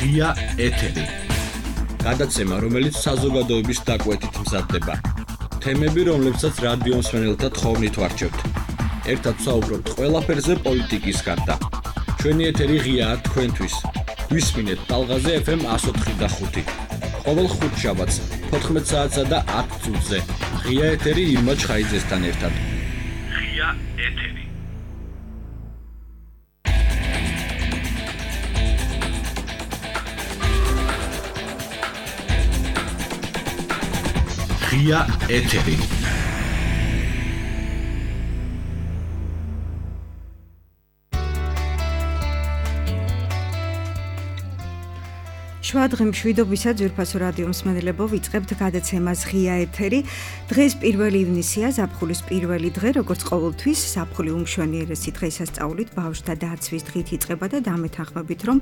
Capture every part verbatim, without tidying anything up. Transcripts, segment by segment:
ღია ეთერი. გადაცემა, რომელიც საზოგადოების დაკვეთით მზადდება. თემები, რომლებსაც რადიო მსმენელთა თხოვნით ვარჩევთ. ერთად საუბრობთ ყველაფერზე პოლიტიკის გარდა. ჩვენი ეთერი ღიაა თქვენთვის. გვისმინეთ ტალღაზე ეფ ემ εκατო ოთხი და ხუთი. ყოველ ხუთშაბათს თოთხმეტ საათსა და ათ წუთზე. ღია ეთერი ირმა ჩხაიძესთან ერთად. ღია ეთერი. ღია ეთერი. შვადღი მშვიდობისა ძვირფასო რადიო მსმენელებო, ვიწყებთ გადაცემას ღია ეთერი. დღეს პირველი ივნისია, ზაფხულის პირველი დღე, როგორც ყოველთვის, ზაფხული უმშვენიერესი დღესასწაულით ბავშვთა დაცვის დღით იწყება და დამეთანხმებით, რომ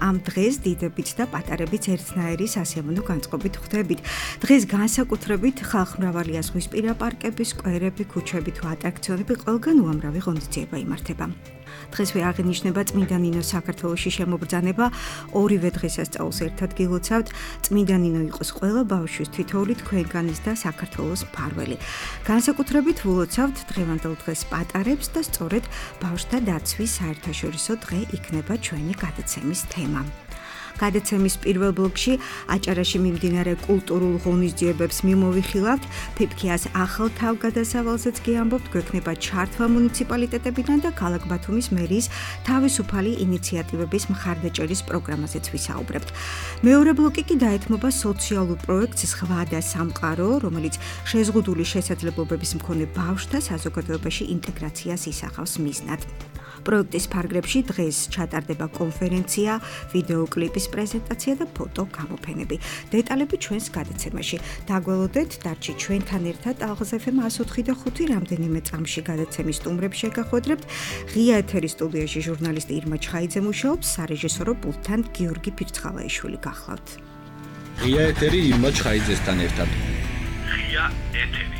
ამ დღეს დიდებიც და პატარებიც ერთნაირი სასიამოვნო განწყობით ხვდებით. დღეს განსაკუთრებით ხალხმრავალია ზღვისპირა პარკები, სკვერები, ქუჩები თუ ატრაქციონები, ყველგან უამრავი ღონისძიება იმართება. დღესვე აღინიშნება წმინდა ნინოს საქართველოში შემობრძანება. ორივე დღესასწაულს ერთად გილოცავთ. წმინდა ნინო იყოს ყველა ბავშვის თითოეული თქვენგანის და საქართველოს მფარველი. განსაკუთრებით ვილოცავთ დღევანდელ დღეს პატარებს და სწორედ ბავშვთა დაცვის საერთაშორისო დღე იქნება ჩვენი გადაცემის თემა. გადაცემის პირველ ბლოკში აჭარაში მიმდინარე კულტურულ ღონისძიებებს მიმოვიხილავთ. ფიფქიას ახალ თავგადასავალზეც გიამბობთ, გვექნება ჩართვა მუნიციპალიტეტებიდან და ქალაქ ბათუმის მერიის თავისუფალი ინიციატივების მხარდაჭერის პროგრამაზეც ვისაუბრებთ. მეორე ბლოკი კი დაეთმობა სოციალურ პროექტს სხვა და სამყარო, რომელიც შეზღუდული შესაძლებლობების მქონე ბავშვთა საზოგადოებაში ინტეგრაციას ისახავს მიზნად. პროექტის ფარგლებში დღეს ჩატარდება კონფერენცია, ვიდეოკლიპის პრეზენტაცია და ფოტო გამოფენები. დეტალები ჩვენს გადაცემაში. დაგველოდეთ, დარჩი ჩვენთან ერთად ტალღაზე ეფ ემ εκατო ოთხი და ხუთი რამდენიმე წამში გადაცემის სტუმრებს შეგახვედრებთ. ღია ეთერის სტუდიაში ჟურნალისტი ირმა ჩხაიძე მუშაობს, სარეჟისორო პულტთან გიორგი ფირცხალაიშვილი გახლავთ. ღია ეთერი ირმა ჩხაიძესთან ერთად. ღია ეთერი.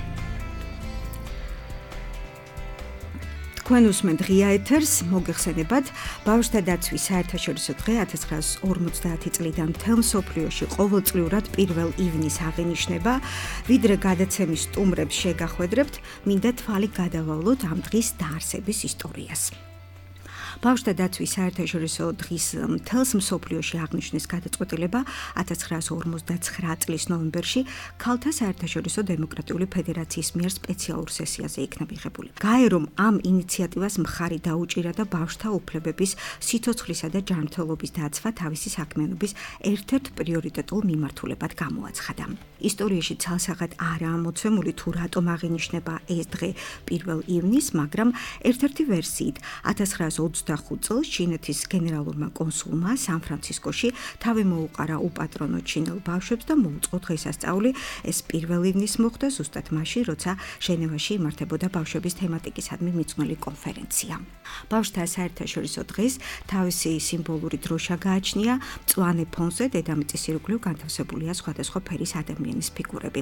თქვენ უსმენთ ღია ეთერს, მოგეხსენებათ, ბავშვთა დაცვის საერთაშორისო დღე ათას ცხრაასი ორმოცდაათი წლიდან მთელ მსოფლიოში ყოველწლიურად პირველ ივნისს აღინიშნება. ვიდრე გადაცემის სტუმრებს შეგახვედრებთ, მინდა თვალი გადავალოთ ამ დღის დაარსების ისტორიას. ბავშვთა დაცვის საერთაშორისო დღის მთელს მსოფლიოში აღნიშვნის გადაწყვეტილება ათას ცხრაასი ორმოცდაცხრა წლის ნოემბერში ქალთა საერთაშორისო დემოკრატიული ფედერაციის მიერ სპეციალურ სესიაზე იქნა მიღებული. გაე რომ ამ ინიციატივას მხარი დაუჭირა და ბავშვთა უფლებების, სიცოცხლისა და ჯანმრთელობის დაცვა თავისი საქმიანობის ერთ-ერთ პრიორიტეტულ მიმართულებად გამოაცხადა. ისტორიაში ცალსახად არაა მოცემული თუ რატომ აღინიშნება ეს დღე პირველ ივნისს, მაგრამ ერთ-ერთი ვერსიით ათას ცხრაასი ოცდახუთ წელს ჩინეთის გენერალურმა კონსულმა სან-ფრანცისკოში თავი მოუყარა უპატრონო ჩინელ ბავშვებს და მოუწყო დღესასწაული. ეს პირველ ივნისს მოხდა ზუსტად მაშინ, როცა ჟენევაში იმართებოდა ბავშვების თემატიკისადმი მიძღვნილი კონფერენცია. ბავშვთა საერთაშორისო დღეს თავისი სიმბოლური დროშა გააჩნია. მწვანე ფონზე დედამიწის ირგვლივ განთავსებულია სხვადასხვა ფერის ადამიანის ფიგურები.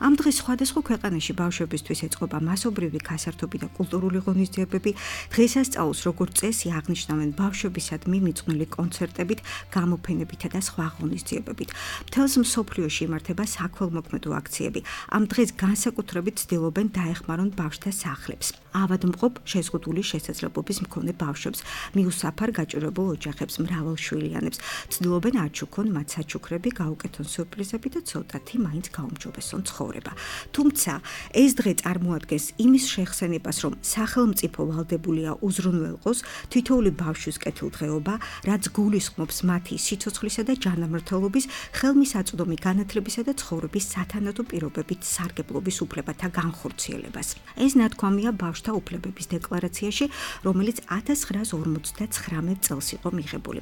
ამ დღეს სხვადასხვა ქვეყანაში ბავშვებისთვის ეწყობა მასობრივი გასართობი და კულტურული ღონისძიებები. დღესასწაულს როგორც წესი აღნიშნავენ ბავშვებისადმი მიძღვნილი კონცერტებით, გამოფენებითა და სხვა ღონისძიებებით. მთელს მსოფლიოში იმართება საქველმოქმედო აქციები. ამ დღეს განსაკუთრებით ცდილობენ დაეხმარონ ბავშვთა სახლებს, ავადმყოფ შეზღუდული შესაძლებლობის მქონე ბავშვებს, მიუსაფარ გაჭირებულ ოჯახებს, მრავალშვილიანებს. ცდილობენ აჩუქონ მათ საჩუქრები, გაუკეთონ სიურპრიზები და ცოტათი მაინც გაუმჯობესონ ცხოვრება. თუმცა ეს დღე წარმოადგენს იმის შეხსენებას, რომ სახელმწიფო ვალდებულია უზრუნველყოს თითოეული ბავშვის კეთილდღეობა, რაც გულისხმობს მათი სიცოცხლისა და ჯანმრთელობის, ხელმისაწვდომი განათლებისა და ცხოვრების სათანადო პირობებით სარგებლობის უფლებათა განხორციელებას. ეს ნათქვამია ბავშვთა უფლებების დეკლარაციაში, რომელიც ათას ცხრაასი ორმოცდაცხრამეტ წელს იყო მიღებული.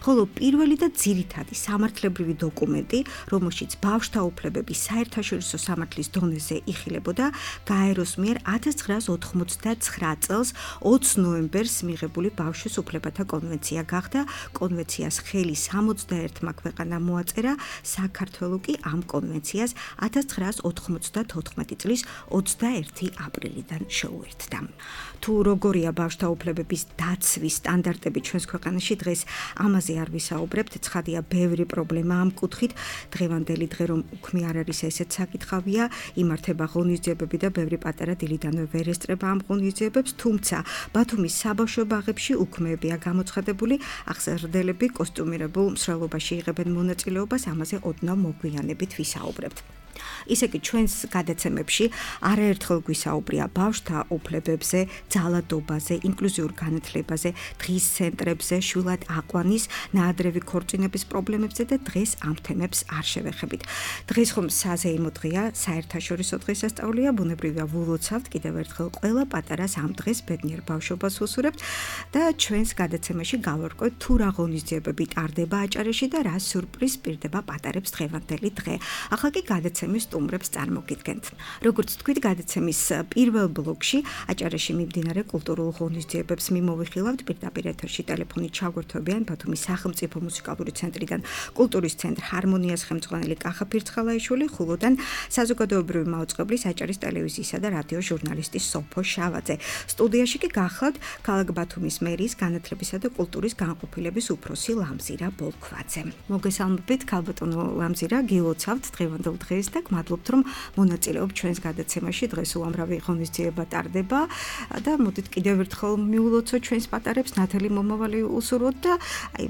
ხოლო პირველი და ძირითადი სამართლებრივი დოკუმენტი, რომელშიც ბავშვთა უფლებები საერთაშორისო სამართლის დონეზე იხილებოდა, გაეროს მიერ ათას ცხრაასი ოთხმოცდაცხრა წელს ოცი ნოემბერს მიღებული ბავშვის უფლებათა კონვენცია გახდა. კონვენციას ხელი სამოცდაერთმა ქვეყანამ მოაწერა, საქართველო კი ამ კონვენციას ათას ცხრაას ოთხმოცდათოთხმეტი წლის ოცდაერთი აპრილიდან შეუერთდა. თუ როგორია ბავშვთა უფლებების დაცვის სტანდარტები ჩვენს ქვეყანაში დღეს ამაზე არ ვისაუბრებთ, ცხადია ბევრი პრობლემა ამ კუთხით. დღევანდელი დღე რომ უქმე არ არის ესეც საკითხავია, იმართება ღონისძიებები და ბევრი პატარა დილიდანვე ვერ ესწრება ამ ღონისძიებებს, თუმცა ბათუმის საბავშვო ბაღებში უქმეებია გამოცხადებული, აღზრდელები კოსტუმირებულ მსვლელობაში იღებენ მონაწილეობას, ამაზე ოდნავ მოგვიანებით ვისაუბრებთ. ისე კი ჩვენს გადაცემებში არაერთხელ გვისაუბრია ბავშვთა უფლებებზე, ძალადობაზე, ინკლუზიურ განათლებაზე, დღის ცენტრებზე, შვილად აყვანის, ნაადრევი ქორწინების პრობლემებზე და დღეს ამ თემებს არ შევეხებით. დღეს ხომ საზეიმო დღეა, საერთაშორისო დღესასწაულია, ბუნებრივია ვილოცავთ კიდევ ერთხელ ყველა პატარას ამ დღეს ბედნიერ ბავშვობას უსურებთ და ჩვენს გადაცემაში გავარკვევთ თუ რა ღონისძიებები ტარდება აჭარაში და რა სიურპრიზ პირდება პატარებს დღევანდელი დღე. ახლა კი გადაცემის სტუმრებს წარმოგიდგენთ. როგორც თქვით, გადაცემის პირველ ბლოკში აჭარაში მიმდინარე კულტურულ ღონისძიებებს მიმოვიხილავთ. პირდაპირ ეთერში ტელეფონით ჩაგვერთვებიან ბათუმის სახელმწიფო მუსიკალური ცენტრიდან კულტურის ცენტრ ჰარმონიას ხელმძღვანელი კახა ფირცხალაიშვილი, ხულოდან საზოგადოებრივი მაუწყებლის აჭარის ტელევიზიისა და რადიოს ჟურნალისტი სოფო შავაძე. სტუდიაში კი გახლავთ ქალაქ ბათუმის მერიის განათლებისა და კულტურის განყოფილების უფროსი ლამზირა ბოლქვაძე. მოგესალმებით, ქალბატონო ლამზირა, გილოცავთ დღევანდელ დღეს და გმადლობთ, რომ მონაწილეობთ ჩვენს გადაცემაში. დღეს უამრავი ღონისძიება ტარდება და მოდით კიდევ ერთხელ მიულოცოთ ჩვენს პატარებს, ნათელი მომავალი უსურვოთ და აი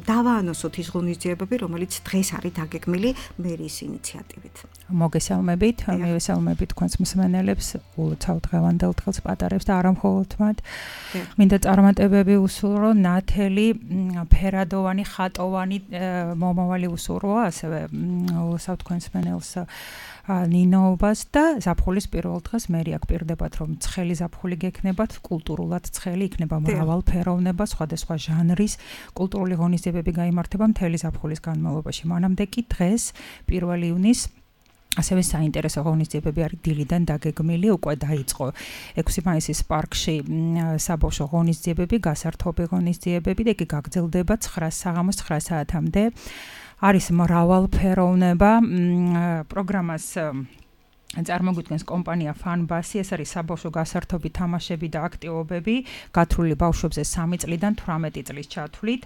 დავაანონსოთ ის ღონისძიებები, რომელიც დღეს არის დაგეგმილი მერიის ინიციატივით. მოგესალმებით, მივესალმებით თქვენს მსმენელებს, ულოცავ დღევანდელ დღეს პატარებს და არა მხოლოდ მათ. მინდა წარმატებები უსურვო, ნათელი, ფერადოვანი, ხატოვანი მომავალი უსურვო, ასევე ულოცავ თქვენს მსმენელს ნინოობას და ზაფხულის პირველ დღეს მერი აქ პირდებათ, რომ ცხელი ზაფხული გექნებათ, კულტურულად ცხელი იქნება მრავალფეროვნება, სხვადასხვა ჟანრის კულტურული ღონისძიებები გაიმართება მთელი ზაფხულის განმავლობაში. მანამდე კი დღეს პირველ ივნის ასევე საინტერესო ღონისძიებები არის დილიდან დაგეგმილი, უკვე დაიწყო ექვსი მაისის პარკში საბავშვო ღონისძიებები, გასართობი ღონისძიებები და იგი გაგრძელდება ცხრას საღამოს ცხრა საათამდე. არის მრავალფეროვნება, პროგრამას წარმოგვიდგენს კომპანია ფანბასი, ეს არის საბავშვო გასართობი თამაშები და აქტივობები, გათვლილი ბავშვებზე სამი წლიდან თვრამეტი წლის ჩათვლით.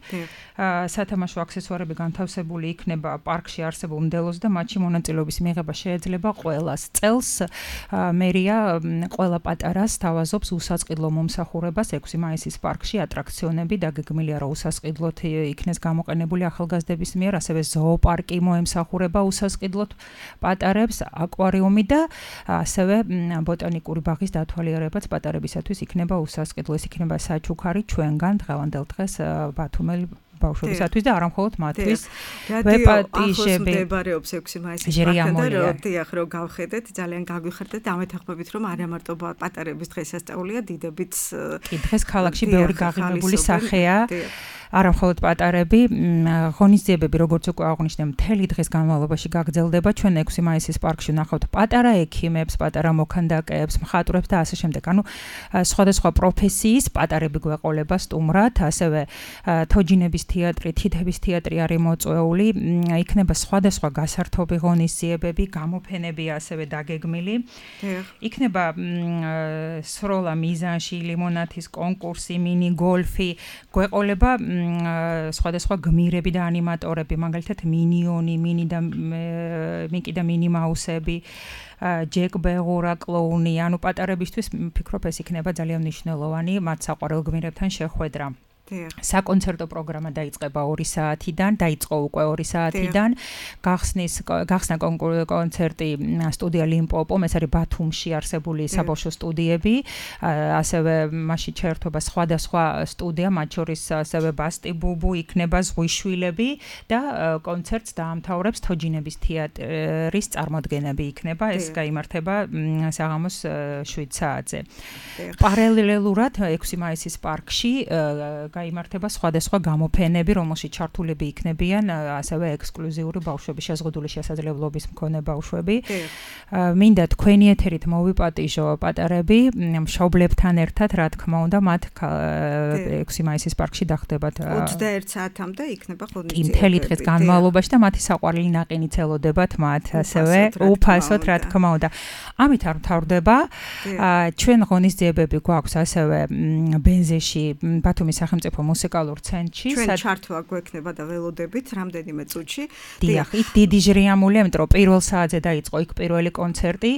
სათამაშო აქსესუარები განთავსებული იქნება პარკში არსებულ მდელოს და მათში მონაწილეობის მიღება შეიძლება ყველას. წელს მერია ყველა პატარას თავაზობს უსასყიდლო მომსახურებას ექვსი მაისის პარკში. ატრაქციონები დაგეგმილია, რომ უსასყიდლოდ იქნეს გამოყენებული ახალგაზრდების მიერ, ასევე ზოოპარკი მოემსახურება უსასყიდლოდ პატარებს, აკვარიუმი და ასევე ბოტანიკური ბაღის დათვალიერებაც პატარებისათვის იქნება უსასყიდლო. ეს იქნება საჩუქარი ჩვენგან დღევანდელ დღეს ბათუმელი ბავშვებისათვის და არა მხოლოდ მათთვის. ვეპატიჟები მდებარეობს ექვსი მაისის პარკში და როდიახ რომ გავხედეთ, ძალიან გაგვიხარდეთ და ამეთანხმებით, რომ არა მარტო პატარების დღესასწაულია, დიდებიც კი დღეს ქალაქში ბევრი გაღიმებული სახეა. არა მხოლოდ პატარები, ღონისძიებები, როგორც უკვე აღვნიშნე, მთელი დღის განმავლობაში გაგრძელდება. ჩვენ ექვსი მაისის პარკში ვნახავთ პატარა ექიმებს, პატარა მოქანდაკეებს, მხატვრებს და ასე შემდეგ. ანუ სხვადასხვა პროფესიის პატარები გვეყოლება სტუმრად, ასევე თოჯინების თეატრი, თითების თეატრი არის მოწვეული, იქნება სხვადასხვა გასართობი ღონისძიებები, გამოფენები ასევე დაგეგმილი. იქნება სროლა მიზანში, ლიმონათის კონკურსი, მინი გოლფი, გვეყოლება სხვადასხვა გმირები და ანიმატორები, მაგალითად მინიონი, მინი და მიკი და მინი მაუსები, ჯეკ ბეღურა კლოუნი, ანუ პატარებისთვის ვფიქრობ ეს იქნება ძალიან მნიშვნელოვანი მათ საყვარელ გმირებთან შეხვედრა. საკონცერტო პროგრამა დაიწყება ორი საათიდან, დაიწყო უკვე ორი საათიდან. გახსნის გახსნა კონცერტი სტუდია ლიმპოპომ, ეს არის ბათუმში არსებული საბავშვო სტუდიები, ასევე მასში ჩაერთვება სხვადასხვა სტუდია, მათ შორის ასევე ბასტი ბუბუ, იქნება ზღვიშვილები და კონცერტს დაამთავრებს თოჯინების თეატრის წარმოდგენები იქნება, ეს გაიმართება საღამოს შვიდ საათზე. პარალელურად ექვსი მაისის პარკში გაიმართება სხვადასხვა გამოფენები, რომელშიც ჩართულები იქნებიან ასევე ექსკლუზიური ბავშვები, შეზღუდული შესაძლებლობის მქონე ბავშვები. მინდა თქვენი ეთერით მოვიპატიჟო პატარები, მშობლებთან ერთად, რა თქმა უნდა, მათ ექვსი მაისის პარკში დახდებათ. ოცდაერთ საათამდე იქნება ღონისძიებები. მთელი დღის განმავლობაში და მათი საყვარელი ნაყინიც ელოდებათ მათ, ასევე უფასოდ, რა თქმა უნდა. ამით არ მთავრდება. ჩვენ ღონისძიებები გვაქვს ასევე ბენზეში, ბათუმის სახელმწიფო მუსიკალურ ცენტრში. ჩვენ ჩართვა გვექნება და ველოდებით რამდენიმე წუთში. დიახ, იქ დიდი ჟრიამულია, იმიტომ რომ პირველ საათზე დაიწყო იქ პირველი კონცერტი.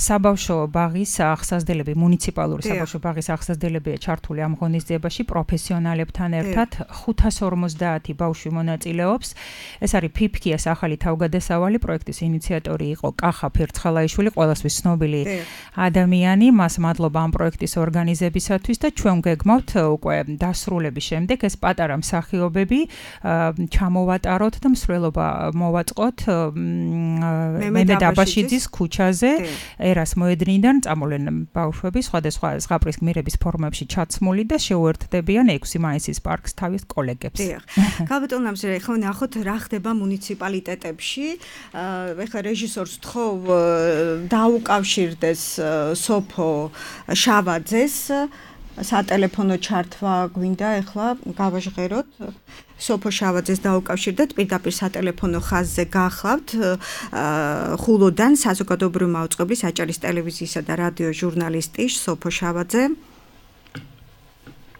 საბავშვო ბაღის აღსაზრდელები, მუნიციპალური საბავშვო ბაღის აღსაზრდელებია ჩართული ამ ღონისძიებაში პროფესიონალებთან ერთად. ხუთას ორმოცდაათი ბავშვი მონაწილეობს. ეს არის ფიფქიას ახალი თავგადასავალი, პროექტის ინიციატორი იყო კახა ფერცხალაიშვილი, ყველასთვის ცნობილი ადამიანი. მას მადლობა ამ პროექტის ორგანიზებისათვის და ჩვენ გეგმავთ უკვე დასრულების შემდეგ ეს პატარა მსახიობები ჩამოვატაროთ და მსვლელობა მოვაწყოთ მემედ აბაშიძის ქუჩაზე ერას მოედნიდან წამოვლენ ბავშვები სხვადასხვა ზღაპრის გმირების ფორმებში ჩაცმული და შეუერთდებიან ექვსი მაისის პარკს თავის კოლეგებს. დიახ. გაბატონ ამზრე, ხო ნახოთ რა ხდება მუნიციპალიტეტებში. ეხლა რეჟისორს ვთხოვ დაუკავშირდეს სოფო შავაძეს სატელეფონო ჩართვა გვინდა ეხლა გავაჟღეროთ სოფო შავაძეს დაუკავშირდეთ პირდაპირ სატელეფონო ხაზზე გახლავთ ხულოდან საზოგადოებრივი მაუწყებლის აჭარის ტელევიზიისა და რადიო ჟურნალისტი სოფო შავაძე.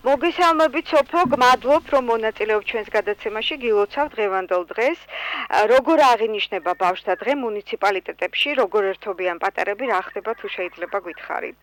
მოგესალმებით სოფო, გმადლობ რომ მონაწილეობ ჩვენს გადაცემაში, გილოცავ დღევანდელ დღეს. როგორ აღინიშნება ბავშვთა დღე მუნიციპალიტეტებში, როგორ ერთობიან პატარები, რა ხდება თუ შეიძლება გითხარით?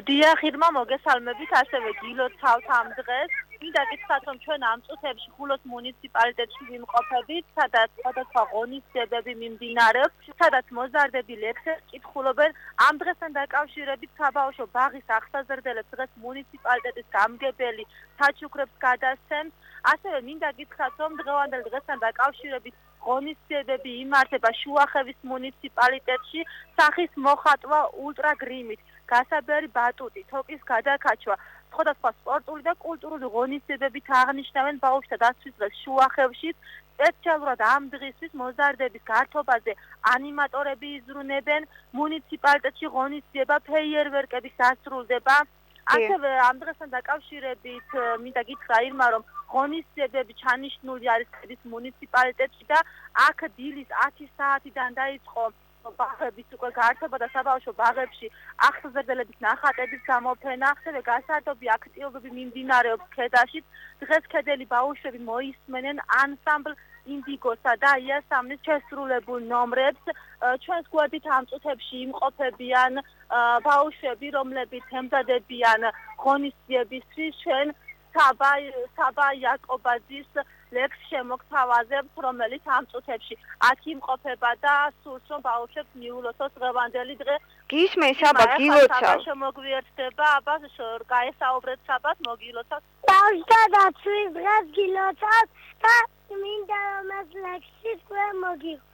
დიახ, ირმა, მოგესალმებით, ასევე გილოცავთ ამ დღეს. მინდა გითხრათ, რომ ჩვენ ამ წუთებში ხულოს მუნიციპალიტეტში ვიმყოფებით, სადაც სხვადასხვა ღონისძიებები მიმდინარეობს, სადაც მოზარდები ლექსებს კითხულობენ. ამ დღესთან დაკავშირებით საბავშვო ბაღის აღსაზრდელებს დღეს მუნიციპალიტეტის გამგებელი საჩუქრებს გადასცემს. ასევე მინდა გითხრათ, რომ დღევანდელ დღესთან დაკავშირებით ღონისძიებები იმართება შუახევის მუნიციპალიტეტში, სახის მოხატვა ულტრაგრიმით, გასაბერი ბატუტი, თოკის გადაკაჩვა. სხვადასხვა სპორტული და კულტურული ღონისძიებებით აღნიშნავენ ბავშვთა დაცვის დღეს შუახევში. სპეციალურად ამ დღისთვის მოზარდების გართობაზე ანიმატორები იზრუნებენ. მუნიციპალიტეტში ღონისძიება ფეიერვერკებით დასრულდება. ასევე ამ დღესთან დაკავშირებით მინდა გითხრა ირმა, რომ ღონისძიებები ჩანიშნული არის ქედის მუნიციპალიტეტში და აქ დილის ათი საათიდან დაიწყო ბაღების უკვე გართობა და საბავშვო ბაღებში აღსაზრდელების ნახატების გამოფენა. ასევე გასართობი აქტივობები მიმდინარეობს ქედაში. დღეს ქედელი ბავშვები მოისმენენ ანსამბლ ინდიგოსა და იასამნის შესრულებულ ნომრებს. ჩვენს გვერდით ამ წუთებში იმყოფებიან ბავშვები, რომლებიც ემზადებიან ღონისძიებისთვის. ჩვენ საბა საბა იაკობაძის ლექს შემოგთავაზებთ, რომელიც ამ წუთებში აქ იმყოფება და სურს რომ ბავშვებს მიულოცოს დღევანდელი დღე. გისმენ საბა გილოცავ. შემოგვიერთდება, აბა გაესაუბრეთ საბას, მოგილოცავ. ბავშვთა დაცვის დღეს გილოცავ და მინდა რომ ეს ლექსი თქვენ მოგიყვეთ.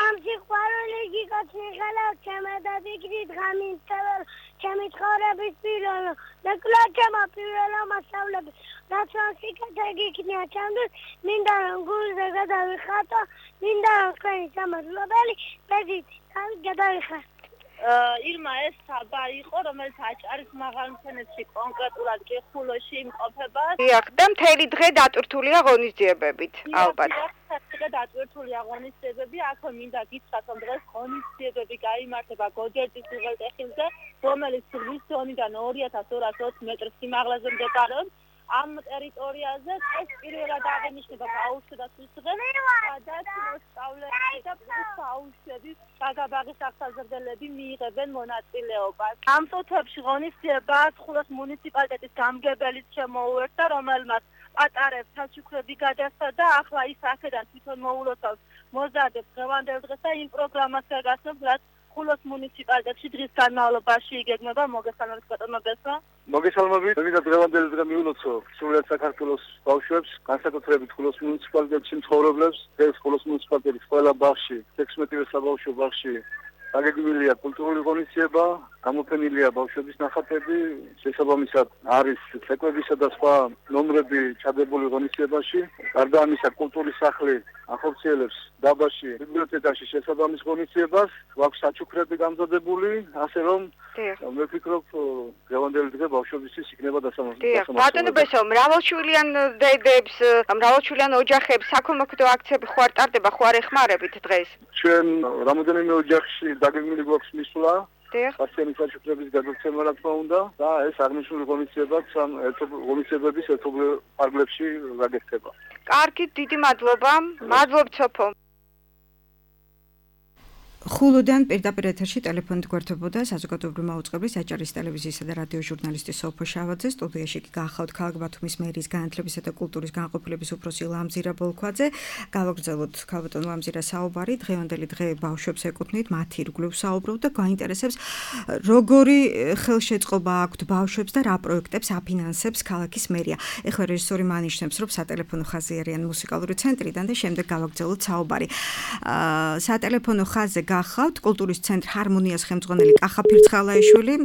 ამ სიყვარული გიგოჩნი ხელა ჩემადადიქით გამინწეველ ჩემი ცხოვრების პირველო და კლაჩემა პირველო მასწავლებელი რაც სიკეთე გიქნია ჩემთვის მინდა რომ გულზე გადავიხატო მინდა რომ თქვენი სამადლობელი ბედით გადავიხატო. ირმა ეს საბა იყო, რომელიც აჭარის მაღალმთენეთში კონკრეტულად კი ხულოში იმყოფება. დიახ, და მთელი დღე დატვირთულია ღონისძიებებით, ალბათ. დღე დატვირთულია ღონისძიებები, აქვე მინდა გითხრათ, რომ დღეს ღონისძიებები გაიმართება გოჯერტის უღელტეხილზე, რომელიც ზღვის ზონიდან ორი ათას ორას ოცი მეტრ სიმაღლეზე მდებარეობს. ამ ტერიტორიაზე ეს პირველად აღინიშნება ბავშვთა დაცვის დღე, სადაც მოსწავლეები და ბავშვები გაგაბაღის აღსაზრდელები მიიღებენ მონაწილეობას. ამ წუთებში ღონისძიება ხულოს მუნიციპალიტეტის გამგებელიც შემოუერთდა, რომელმაც პატარებს საჩუქრები გადასცა და ახლა ის აქედან თვითონ მოულოცავს მოზარდებს დღევანდელ დღეს და იმ პროგრამას გაგაცნობს, რაც ხულოს მუნიციპალიტეტში დღის განმავლობაში იგეგმება. მოგესალმებით ბატონო ბესო. მოგესალმებით. მინდა დღევანდელი დღე მიულოცო სრულად საქართველოს ბავშვებს, განსაკუთრებით ხულოს მუნიციპალიტეტში მცხოვრებლებს. ეს ხულოს მუნიციპალიტეტის ყველა ბაღში, ექვსმეტივე საბავშვო ბაღში აგეგმილია კულტურული ღონისძიება, გამოფენილია ბავშვების ნახატები, შესაბამისად არის ცეკვებისა და სხვა ნომრები ჩადებული ღონისძიებაში. გარდა ამისა, კულტურის სახლი ახორციელებს დაბაში ბიბლიოთეკაში შესაბამის ღონისძიებას, გვაქვს საჩუქრები გამზადებული, ასე რომ მე ვფიქრობ, დღევანდელი დღე ბავშვებისთვის იქნება დასამართლებელი. ბატონო ბესო, მრავალშვილიან დედებს, მრავალშვილიან ოჯახებს საქველმოქმედო აქციები ხო არ ტარდება, ხო არ ეხმარებით დღეს? ჩვენ რამოდენიმე ოჯახში დაგეგმილი გვაქვს მისვლა. პასიანი საჩუქრების გადაცემა რა თქმა უნდა და ეს აღნიშნული ღონისძიებაც ამ ღონისძიებების ერთობლივ პარკლებში გაგექცება. კარგი, დიდი მადლობა. მადლობ ცოფო. ხულოდან პირდაპირ ეთერში ტელეფონით გვერდებოდა საზოგადოებრივი მაუწყებლის აჭარის ტელევიზიისა და რადიო ჟურნალისტი სოფო შავაძე. სტუდიაში კი გახავთ ქალაქ ბათუმის მერიის განათლებისა და კულტურის განყოფილების უფროსი ლამზირა ბოლქვაძე. გავაგრძელოთ ქალბატონ ლამზირა საუბარი. დღევანდელი დღე ბავშვებს ეკუთვნით, მათ ირგვლივ საუბრობთ და გაინტერესებს, როგორი ხელშეწყობა აქვთ ბავშვებს და რა პროექტებს აფინანსებს ქალაქის მერია. ეხლა რეჟისორი მანიშნებს, რომ სატელეფონო ხაზი არიან მუსიკალური ცენტრიდან და შემდეგ გავაგრძელოთ საუბარი. სატელეფონო ხაზზე გახავთ კულტურის ცენტრ ჰარმონიას ხელმძღვანელი კახა ფირცხალაიშვილი.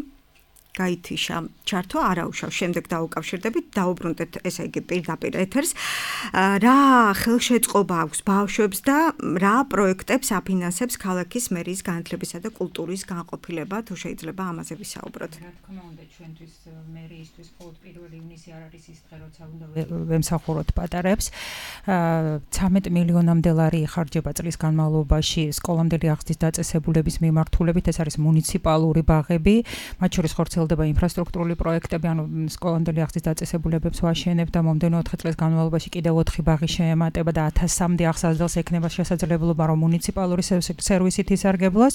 გაითიშა ჩართო არაუშავ შემდეგ დაუკავშირდებით დაუბრუნდეთ ესე იგი პირდაპირ ეთერს რა ხელშეწყობა აქვს ბავშვებს და რა პროექტებს აფინანსებს ქალაქის მერიის განათლებისა და კულტურის განყოფილება თუ შეიძლება ამაზე ვისაუბროთ. რა თქმა უნდა ჩვენთვის მერიისთვის მხოლოდ პირველი ივნისი არ არის ის დღე როცა უნდა ვემსახუროთ პატარებს. ცამეტ მილიონამდე ლარი იხარჯება წლის განმავლობაში სკოლამდელი აღზრდის დაწესებულების მიმართულებით. ეს არის მუნიციპალური ბაღები, მათ შორის ხორციელდება ინფრასტრუქტურული პროექტები, ანუ სკოლამდელი აღზრდის დაწესებულებებს ვაშენებ და მომდენო ოთხი წლის განმავლობაში კიდევ ოთხი ბაღი შეემატება და ათასამდე აღსაზრდელს ექნება შესაძლებლობა, რომ მუნიციპალური სერვისით ისარგებლოს.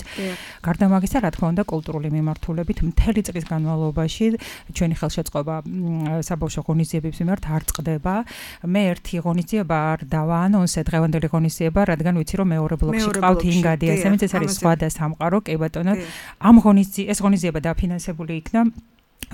გარდა მაგისა, რა თქმა უნდა, კულტურული მიმართულებით მთელი წლის განმავლობაში ჩვენი ხელშეწყობა საბავშვო ღონისძიებების მიმართ არ წყდება. მე ერთი ღონისძიება არ დავაანონსე, დღევანდელი ღონისძიება, რადგან ვიცი, რომ მეორე ბლოკში ყავთ ინგადი, ესეც ეს არის სხვა და სამყარო, კი ბატონო. ამ ღონისძიება ეს ღონისძიება დაფინანსებული იქნა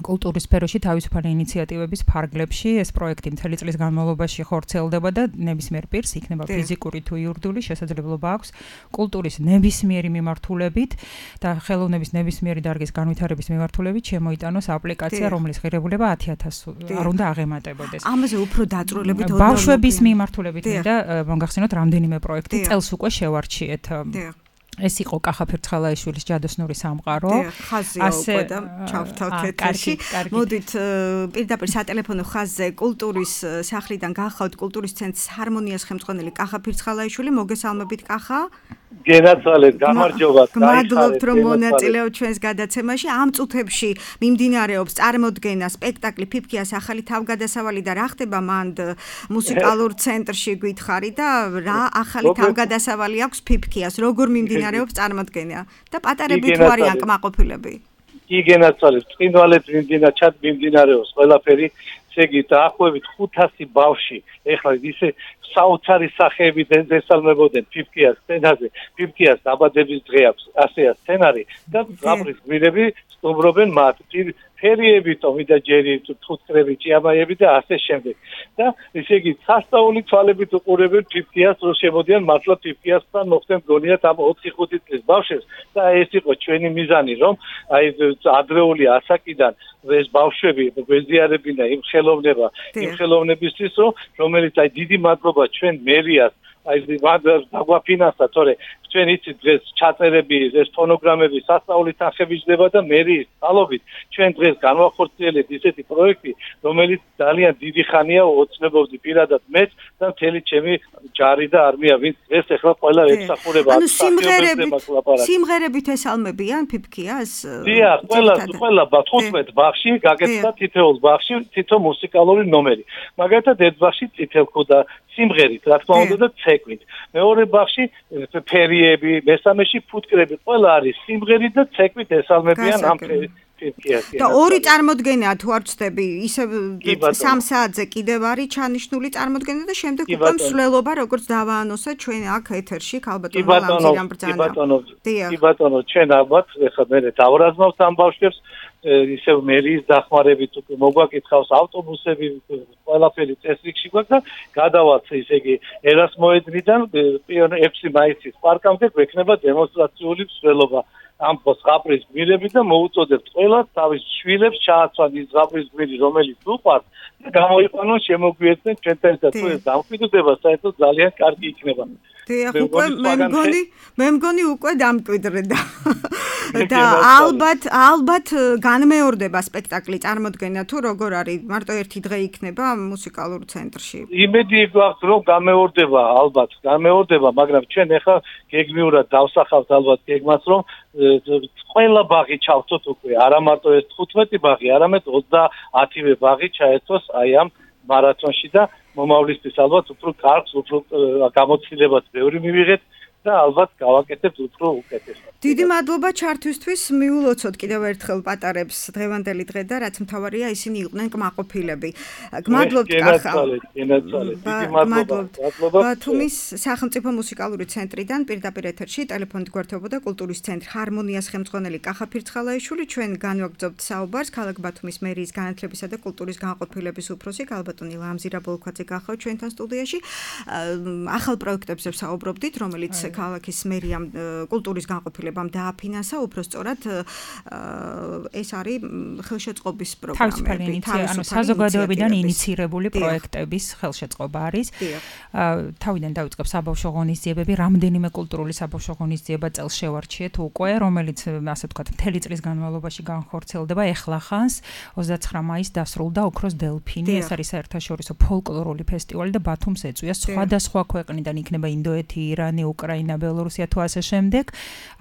კულტურის სფეროში თავისუფალი ინიციატივების ფარგლებში. ეს პროექტი მთელი წლის განმავლობაში ხორციელდება და ნებისმიერ პირს იქნება ფიზიკური თუ იურიდიული შესაძლებლობა აქვს კულტურის ნებისმიერი მიმართულებით და ხელოვნების ნებისმიერი დარგის განვითარების მიმართულებით შემოიტანოს აპლიკაცია, რომლის ღირებულება ათი ათასი არ უნდა აღემატებოდეს. ამაზე უფრო დაწვრილებით ბავშვების მიმართულებით მინდა მოგახსენოთ რამდენიმე პროექტი წელს უკვე შევარჩიეთ. ეს იყო კახა ფირცხალაიშვილის ჯადოსნური სამყარო. ასე და ჩავთავთ ეთერში. მოდით პირდაპირ სატელეფონო ხაზზე კულტურის სახლიდან გახავთ კულტურის ცენტრის ჰარმონიას ხელმძღვანელი კახა ფირცხალაიშვილი. მოგესალმებით კახა. გენაცვალეთ, გამარჯობა. მადლობთ რომ მონაწილეობთ ჩვენს გადაცემაში. ამ წუთებში მიმდინარეობს წარმოდგენა სპექტაკლი ფიფქიას ახალი თავგადასავალი და რა ხდება მანდ მუსიკალურ ცენტრში გითხარი და რა ახალი თავგადასავალი აქვს ფიფქიას, როგორ მიმდინარეობს წარმოდგენა და პატარები თუ არიან კმაყოფილები. კი გენაცვალეთ, წინვალეთ მიმდინარეობს ყველაფერი. შეგი დაახლოებით ხუთასი ბავშვი ეხლა ისე საოცარი სახეებით ესალმებოდნენ ფიფქიას სცენაზე. ფიფქიას დაბადების დღე აქვს ასეა სცენარი და გაბრის გმირები სტუმრობენ მათ ფერიები, ტომი და ჯერი, თხუთკრები, ჭიამაიები და ასე შემდეგ. და ესე იგი სასწაული თვალებით უყურებენ ფიფქიას, რომ შემოდიან მართლა ფიფქიასთან მოხდენ გონიათ ამ ოთხი ხუთი წლის ბავშვებს და ეს იყო ჩვენი მიზანი, რომ აი ადრეული ასაკიდან ეს ბავშვები გვეზიარებინა იმ ხელოვნება, იმ ხელოვნებისთვის, რომელიც აი დიდი მადლობა ჩვენ მერიას აი დაგვაფინანსა, თორე ჩვენ იცით დღეს ჩაწერები, ეს ფონოგრამები სასწაულის თანხები ჯდება და მერიის წყალობით ჩვენ დღეს განვახორციელებთ ისეთი პროექტი, რომელიც ძალიან დიდი ხანია ოცნებობდი პირადად მეც და მთელი ჩემი ჯარი და არმია, ვინც დღეს ახლა ყველა ემსახურება. ანუ სიმღერებით სიმღერებით ესალმებიან ფიფქიას? დიახ, ყველა ყველა თხუთმეტ ბაღში გაგეცდა თითოეულ ბაღში თითო მუსიკალური ნომერი. მაგალითად ერთ ბაღში წითელქოდა სიმღერით, რა თქმა უნდა და ცეკვით. მეორე ბაღში ფერიები, მესამეში ფუტკრები, ყველა არის სიმღერით და ცეკვით ესალმებიან ამ ფიფქიას. და ორი წარმოდგენაა თუ არ ვცდები, ისე სამ საათზე კიდევ არის ჩანიშნული წარმოდგენა და შემდეგ უკვე მსვლელობა, როგორც დავაანონსე ჩვენ აქ ეთერში ქალბატონო ლამზირამ ბრძანა. კი ბატონო, კი ბატონო, ჩვენ ალბათ ეხლა მე დავრაზმავთ ამ ბავშვებს ისევ მერიის დახმარებით მოგვაკითხავს ავტობუსები, ყველაფერი წესრიგში გვაქვს და გადავალთ ისე იგი ერასმოედნიდან ექვსი მაისის პარკამდე გვექნება დემონსტრაციული მსვლელობა. ამ ზღაპრის გმირები და მოუწოდებთ ყველას თავის შვილებს ჩააცვან ის ზღაპრის გმირი, რომელიც უყვართ და გამოიყვანონ შემოგვიერთდნენ ჩვენთან ერთად. თუ ეს დამკვიდრდება, საერთოდ ძალიან კარგი იქნება. დიახ, უკვე მე მგონი, მე მგონი უკვე დამკვიდრდა. და ალბათ, ალბათ განმეორდება სპექტაკლი წარმოდგენა თუ როგორ არის, მარტო ერთი დღე იქნება მუსიკალურ ცენტრში. იმედი გვაქვს, რომ განმეორდება, ალბათ, განმეორდება, მაგრამ ჩვენ ახლა გეგმიურად დავსახავთ ალბათ გეგმას, რომ ყველა ბაღი ჩავწოთ უკვე, არა მარტო ეს თხუთმეტი ბაღი, არამედ ოცდაათივე ბაღი ჩაერთოს აი ამ მარათონში და მომავლისთვის ალბათ უფრო კარგს, უფრო გამოცდილებას ბევრი მივიღეთ და ალბათ გავაკეთებთ უფრო უკეთესად. დიდი მადლობა ჩართვისთვის. მიულოცოთ კიდევ ერთხელ პატარებს დღევანდელი დღე და რაც მთავარია ისინი იყვნენ კმაყოფილები. გმადლობთ კახა. დიდი მადლობა. ბათუმის სახელმწიფო მუსიკალური ცენტრიდან პირდაპირ ეთერში ტელეფონით გვერდებოდა კულტურის ცენტრი ჰარმონიას ხელმძღვანელი კახა ფირცხალაიშვილი. ჩვენ განვაგრძობთ საუბარს ქალაქ ბათუმის მერიის განათლებისა და კულტურის განყოფილების უფროსი ქალბატონი ლამზირა ბოლქვაძე გახავთ ჩვენთან სტუდიაში. ახალ პროექტებზე ვსაუბრობდით, რომელიც ქალაქის მერიამ კულტურის განყოფილებამ დააფინანსა, უბრალოდ ეს არის ხელშეწყობის პროგრამები, ანუ საზოგადოებიდან ინიცირებული პროექტების ხელშეწყობა არის. თავიდან დავიწყებ საბავშვო ღონისძიებები, რამდენიმე კულტურული საბავშვო ღონისძიება წელს შევარჩიეთ უკვე, რომელიც ასე ვთქვათ, მთელი წლის განმავლობაში განხორციელდება. ეხლა ხანს ოცდაცხრა მაისს დასრულდა ოქროს დელფინი, ეს არის საერთაშორისო ფოლკლორული ფესტივალი და ბათუმს ეწვია სხვადასხვა ქვეყნიდან, იქნება ინდოეთი, ირანი, უკრაინა, ბელორუსია თუ ასე შემდეგ,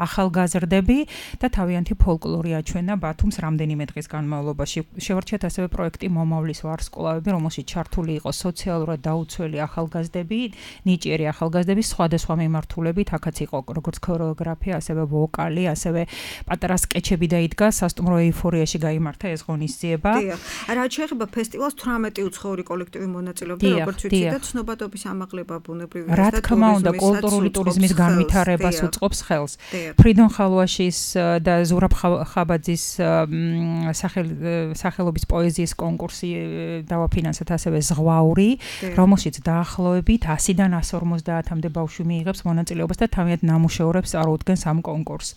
ახალგაზრდები და თავიანთი ფოლკლორი აჩვენა ბათუმს რამდენიმე დღის განმავლობაში. შევარჩიეთ ასევე პროექტი მომავლის ვარსკვლავები, რომელშიც ჩართული იყო სოციალურად დაუცველი ახალგაზრდები, ნიჭიერი ახალგაზრდები სხვადასხვა მიმართულებით, აქაც იყო როგორც ქორეოგრაფია, ასევე ვოკალი, ასევე პატარა სკეჩები დაიდგა, სასტუმრო ეიფორიაში გაიმართა ეს ღონისძიება. დიახ. რაც შეეხება ფესტივალს, თვრამეტი უცხოური კოლექტივი მონაწილეობდა, როგორც ვიცი და ცნობადობის ამაღლება ბუნებრივი და რა თქმა უნდა, კულტურული ტურიზმის განვითარებას უწყობს ხელს. ფრიდონ ხალვაშის და ზურაბ ხაბაძის სახელობის პოეზიის კონკურსი დავაფინანსეთ, ასევე ზღვაური, რომელშიც დაახლოებით ასიდან ასს ორმოცდაათამდე ბავშვი მიიღებს მონაწილეობას და თავიანთ ნამუშევრებს წარუდგენს ამ კონკურსს.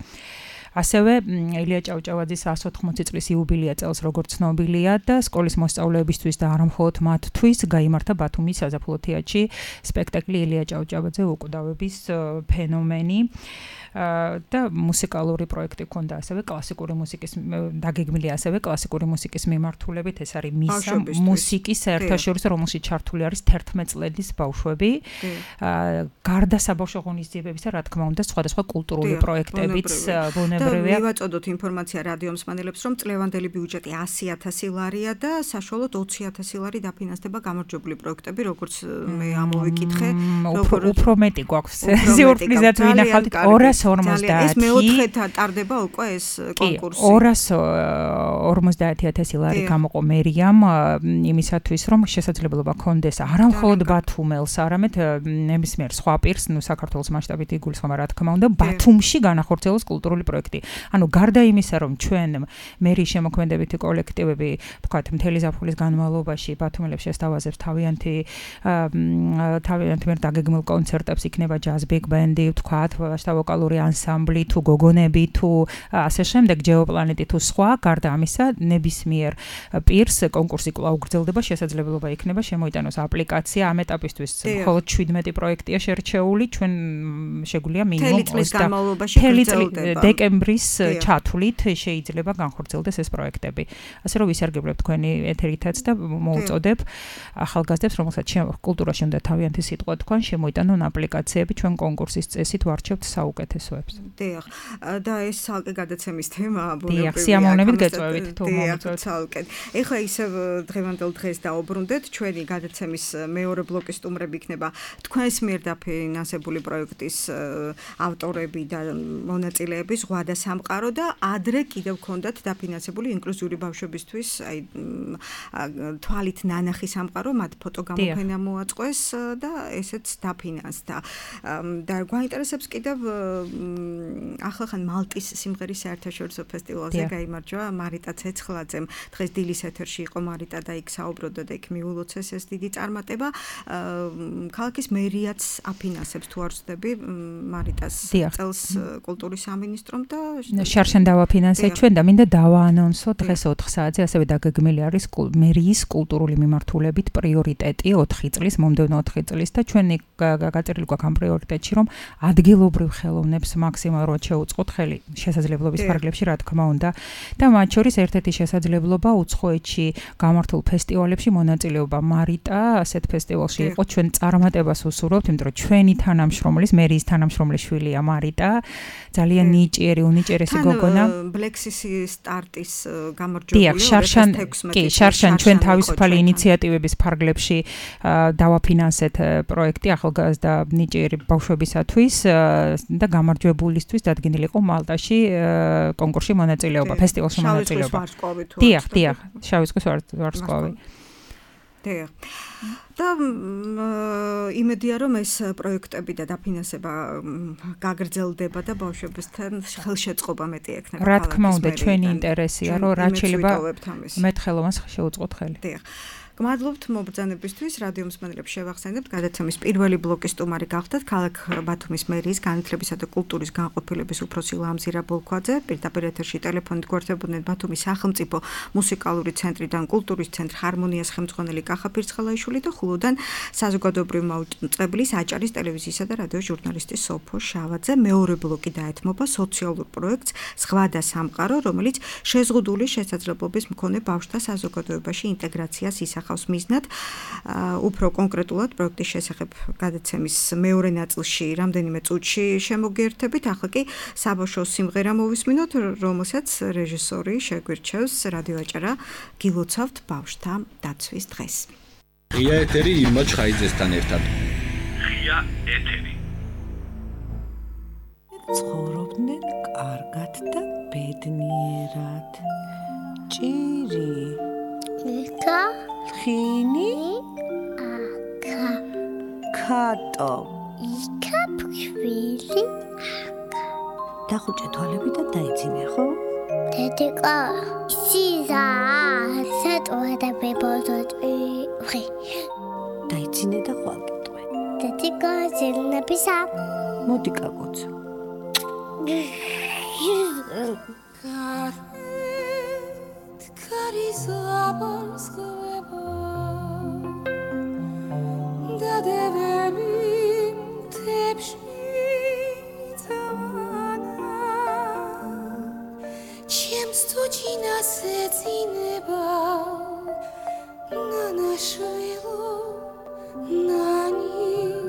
ასევე ელია ჭავჭავაძის εκατს ოთხმოცი წლის იუბილეა წელს როგორც ცნობილია და სკოლის მოსწავლეებისთვის და არა მხოლოდ მათთვის გაიმართა ბათუმის საზაფხულო თეატრში სპექტაკლი ელია ჭავჭავაძე უკვდავების ფენომენი. და მუსიკალური პროექტი ქონდა ასევე კლასიკური მუსიკის დაგეგმილია ასევე კლასიკური მუსიკის მიმართულებით, ეს არის მისა მუსიკის საერთაშორისო, რომელშიც ჩართული არის თერთმეტ წლების ბავშვები. გარდა საბავშვო ღონისძიებებისა, რა თქმა უნდა, სხვადასხვა კულტურული პროექტებიც ბუნებრივია. მივაწოდოთ ინფორმაცია რადიო მსმენელებს, რომ წლევანდელი ბიუჯეტი ასი ათასი ლარია და საშუალოდ ოცი ათასი ლარი დაფინანსდება გამარჯვებული პროექტები, როგორც მე ამოვიკითხე, უფრო მეტი გვაქვს. ზეურპლიზად ვინახავთ ორას ორმოცდაათი. ეს მეოთხეთა ტარდება უკვე ეს კონკურსი. ორას ორმოცდაათი ათასი ლარი გამოყო მერიამ იმისათვის, რომ შესაძლებლობა ქონდეს არა მხოლოდ ბათუმელს, არამედ ნებისმიერ სხვა პირს, ნუ საქართველოს მასშტაბით იგულისხმება, რა თქმა უნდა, ბათუმში განახორციელოს კულტურული პროექტი. ანუ გარდა იმისა, რომ ჩვენ მერიის შემოქმედებითი კოლექტივები, თქვათ, მთელი ზაფხულის განმავლობაში ბათუმელებს შესთავაზებს თავიანთი თავიანთი მიერ დაგეგმილ კონცერტებს, იქნება ჯაზ ბიგ ბენდი, თქვათ, ვაშთა ვოკალური ანსამბლი თუ გოგონები თუ ასე შემდეგ, ჯეოპლანეტი თუ სხვა, გარდა ამისა, ნებისმიერ პირს კონკურსი კვლავ გრძელდება, შესაძლებლობა იქნება შემოიტანოს აპლიკაცია. ამ ეტაპისთვის მხოლოდ შვიდმეტი პროექტია შერჩეული, ჩვენ შეგვიძლია მინიმუმ დეკემბრის ჩათვლით შეიძლება განხორციელდეს ეს პროექტები. ასე რომ ვისარგებლებ თქვენი ეთერითაც და მოუწოდებ ახალგაზრდებს, რომელსაც კულტურაში უნდა თავიანთი სიტყვა თქვან, შემოიტანონ აპლიკაციები, ჩვენ კონკურსის წესით ვარჩევთ საუკეთესოებს. დიახ. და ეს ცალკე გადაცემის თემაა ბუნებრივია. დიახ, სიამოვნებით გეწვევით თუ მომწონთ. ცალკე. ეხლა ისევ დღევანდელ დღეს დაუბრუნდეთ, ჩვენი გადაცემის მეორე ბლოკის სტუმრები იქნება თქვენს მიერ დაფინანსებული პროექტის ავტორები და მონაწილეები, ზღვა და სამყარო და ადრე კიდევ ქონდათ დაფინანსებული ინკლუზიური ბავშვებისთვის, აი თვალით ნანახი სამყარო, მათ ფოტო გამოფენა მოაწყვეს და ესეც დაფინანსდა. და გვაინტერესებს კიდევ ახლახან მალტის სიმღერის საერთაშორისო ფესტივალზე გაიმარჯვა მარიტა ცეცხლაძემ. დღეს დილის ეთერში იყო მარიტა და იქ საუბრობდა და იქ მიულოცეს ეს დიდი წარმატება. ქალაქის მერიაც აფინანსებს თუ არ ვცდები მარიტას წელს კულტურის სამინისტრომ და და შარშან დავაფინანსეთ ჩვენ და მინდა დავაანონსო დღეს ოთხ საათზე ასევე დაგეგმილი არის მერიის კულტურული მიმართულებით პრიორიტეტი ოთხი წლის მომდევნო ოთხი წლის და ჩვენი გაწერილი გვაქვს ამ პრიორიტეტში რომ ადგილობრივ ხელოვნებს მაქსიმალურად შეუწყოთ ხელი შესაძლებლობის ფარგლებში რა თქმა უნდა და მათ შორის ერთ-ერთი შესაძლებლობა უცხოეთში გამართულ ფესტივალებში მონაწილეობა მარიტა ასეთ ფესტივალში იყო ჩვენ წარმატებას უსურვებთ იმიტომ რომ ჩვენი თანამშრომლის მერიის თანამშრომლის შვილია მარიტა ძალიან ნიჭიერი უნიჭიერესი გოგონა ბლექსისი სტარტის გამარჯვებული დიახ შარშან კი შარშან ჩვენ თავისუფალი ინიციატივების ფარგლებში დავაფინანსეთ პროექტი ახალგაზრდა ნიჭიერი ბავშვებისათვის და გამარჯვებულისთვის დადგენილი იყო მალტაში კონკურსში მონაწილეობა ფესტივალში მონაწილეობა დიახ დიახ შავი ზღვის ვარსკვლავი დიახ და იმედია რომ ეს პროექტები და დაფინანსება გაგრძელდება და ბავშვებთან ხელშეწყობა მეტი ექნება რა თქმა უნდა ჩვენი ინტერესია რომ რაც შეიძლება მეტ-ხელოვანს შეუწყოთ ხელი დიახ გმადლობთ მობრძანებისთვის რადიო მსმენელებს შევახსენებთ გადაცემის პირველი ბლოკის სტუმარი გახდათ ქალაქ ბათუმის მერიის განათლებისა და კულტურის განყოფილების უფროსი ლამზირა ბოლქვაძე პირდაპირ ეთერში ტელეფონით გვერდებოდნენ ბათუმის სახელმწიფო მუსიკალური ცენტრიდან კულტურის ცენტრ ჰარმონიას ხელმძღვანელი კახა ფირცხალაიშვილი და ხულოდან საზოგადოებრივი მაუწყებლის აჭარის ტელევიზიისა და რადიოს ჟურნალისტი სოფო შავაძე მეორე ბლოკი დაეთმობა სოციალურ პროექტს ზღვა და სამყარო რომელიც შეზღუდული შესაძლებლობის მქონე ბავშვთა საზოგადოებაში ინტეგრაციას ისახავს ხავს მიზნად უფრო კონკრეტულად პროექტის შესახებ გადაცემის მეორე ნაწილში რამდენიმე წუთში შემოგიერთებით ახლა კი საბავშვო სიმღერა მოვისმინოთ რომელსაც რეჟისორი შეგვირჩევს რადიო აჭარა გილოცავთ ბავშვთა დაცვის დღეს ღია ეთერი ირმა ჩხაიძესთან ერთად ღია ეთერი ცხოვრობდნენ კარგად და ბედნიერად ჭირი იკა ხინი აკა კატო იკა ფქვილი დახუჭე თვალები და დაიძინე ხო? დედიკა სიზა სატოა და ბებოდოტი ვი დაიძინე და ხვალტვე დედიკა ზელნებისა მოდი კაკოცო Carizabascova da devem tepshitana чем стучина сецинеба на нашило на ни на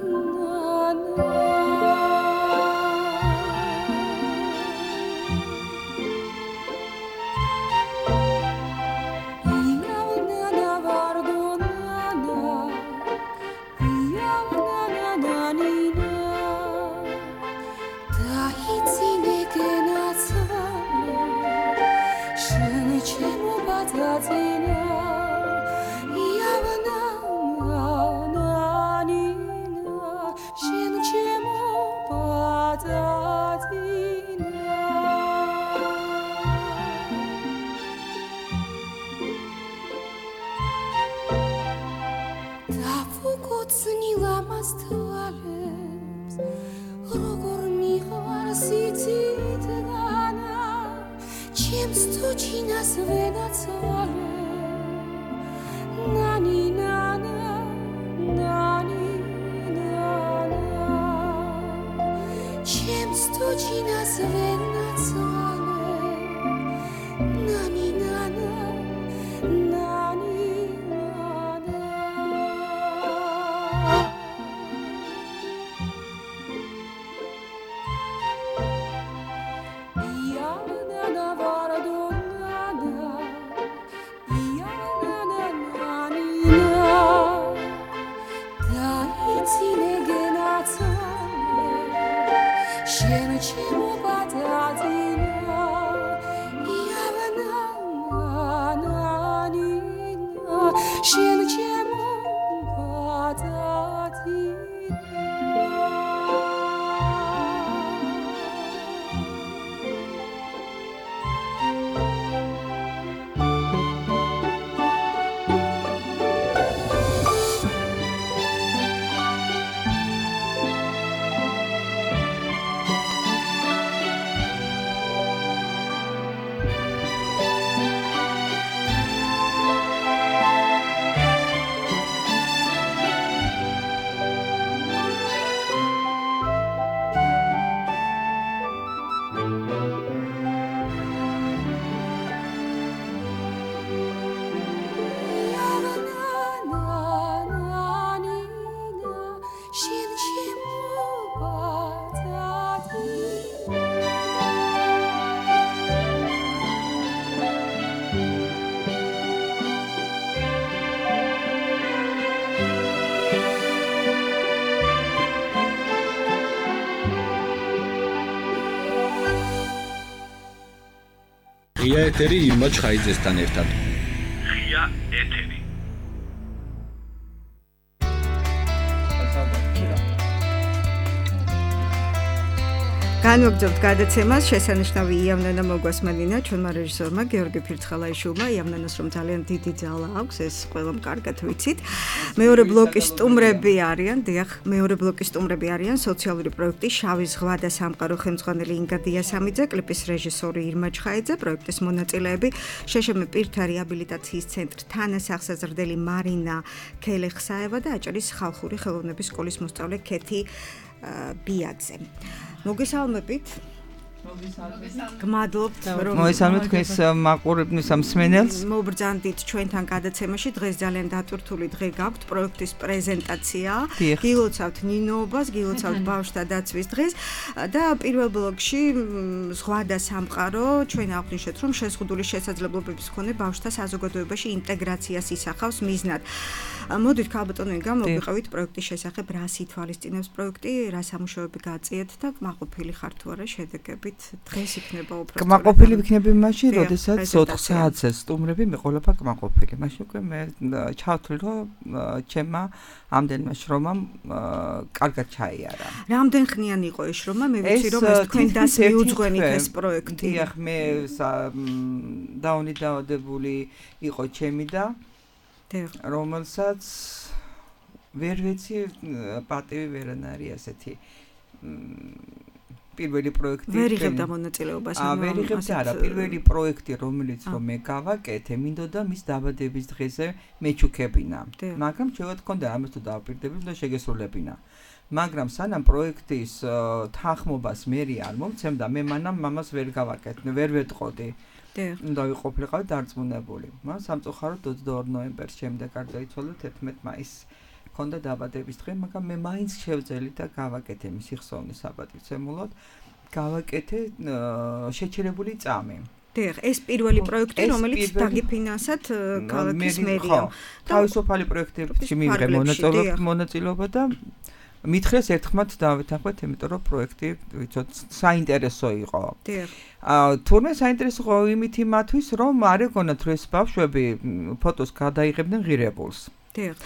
ღია ეთერი ირმა ჩხაიძესთან ერთად. ღია ეთერი. განვაგრძობთ გადაცემას შესანიშნავი იავნანა მოგვასმენინა ჩვენმა რეჟისორმა გიორგი ფირცხალაიშვილმა იავნანას რომ ძალიან დიდი ძალა აქვს ეს ყველამ კარგად ვიცით მეორე ბლოკის სტუმრები არიან დიახ მეორე ბლოკის სტუმრები არიან სოციალური პროექტი შავი ზღვა და სამყარო ხელმძღვანელი ინგა დიასამიძე კლიპის რეჟისორი ირმა ჩხაიძე პროექტის მონაწილეები შეშმ პირთა რეაბილიტაციის ცენტრ თანასახსაზრდელი მარინა ქელეხსაევა და აჭარის ხალხური ხელოვნების სკოლის მოსწავლე ქეთი ბიაძე მოგესალმებით გმადლობთ რომ მოესალმეთ თქვენს მაყურებლის მსმენელს მობრძანდით ჩვენთან გადაცემაში დღეს ძალიან დატვირთული დღე გაქვთ პროექტის პრეზენტაცია გილოცავთ ნინოობას გილოცავთ ბავშვთა დაცვის დღეს და პირველ ბლოკში ზღვა და სამყარო ჩვენ აღვნიშნეთ რომ შეზღუდული შესაძლებლობების მქონე ბავშვთა საზოგადოებაში ინტეგრაციას ისახავს მიზნად მოდით ქალბატონო ინგა მოვიყავით პროექტის შესახებ რა სითვალისწინებს პროექტი რა სამუშაოები გააწიეთ და კმაყოფილი ხართ თუ არა შედეგებით დღეს იქნება უფრო კმაყოფილი ვიქნები მაშინ როდესაც ოთხ საათზე სტუმრები მე ყოლაფა კმაყოფილი მაშინ უკვე მე ჩავთვლი რომ ჩემმა ამდენმა შრომამ კარგად ჩაიარა რამდენ ხნიანი იყო ეს შრომა მე ვიცი რომ ეს თქვენ დას მიუძღვენით ეს პროექტი დიახ მე დაუნი დაავადებული იყო ჩემი და რომელსაც ვერ ვიცი პატივი ვერან არის ასეთი პირველი პროექტი ვერ იღებდა მონაწილეობას აა ვერ იღებდა არა პირველი პროექტი რომელიც რომ მე გავაკეთე მინდოდა მის დაბადების დღეზე მეჩუქებინა მაგრამ შეიძლება თქონდა ამას თუ დავპირდები და შეგესრულებინა მაგრამ სანამ პროექტის თანხმობას მე არ მომცემდა მე მანამ მამას ვერ გავაკეთე ვერ ვეტყოდი და ვიყოფილიყავ დარწმუნებული მაგრამ სამწუხაროდ ოცდაორი ნოემბერს შემდეგ არ დაიცვალა თერთმეტ მაისს ქონდა დაბადების დღე მაგრამ მე მაინც შევძელი და გავაკეთე მისი ხსოვნის საპატივცემულოდ გავაკეთე შეჩერებული წამი დიახ ეს პირველი პროექტი რომელიც დაგიფინანსად ქალაქის მერიამ თავისუფალი პროექტებში მიიღე მონაწილეობა და მითხრეს ერთხმად დავეთანხმეთ იმიტომ რომ პროექტი ვიცოთ საინტერესო იყო დიახ თურმე საინტერესო იყო იმით იმათვის რომ არ ეგონათ რომ ეს ბავშვები ფოტოს გადაიღებდნენ ღირებულს დიახ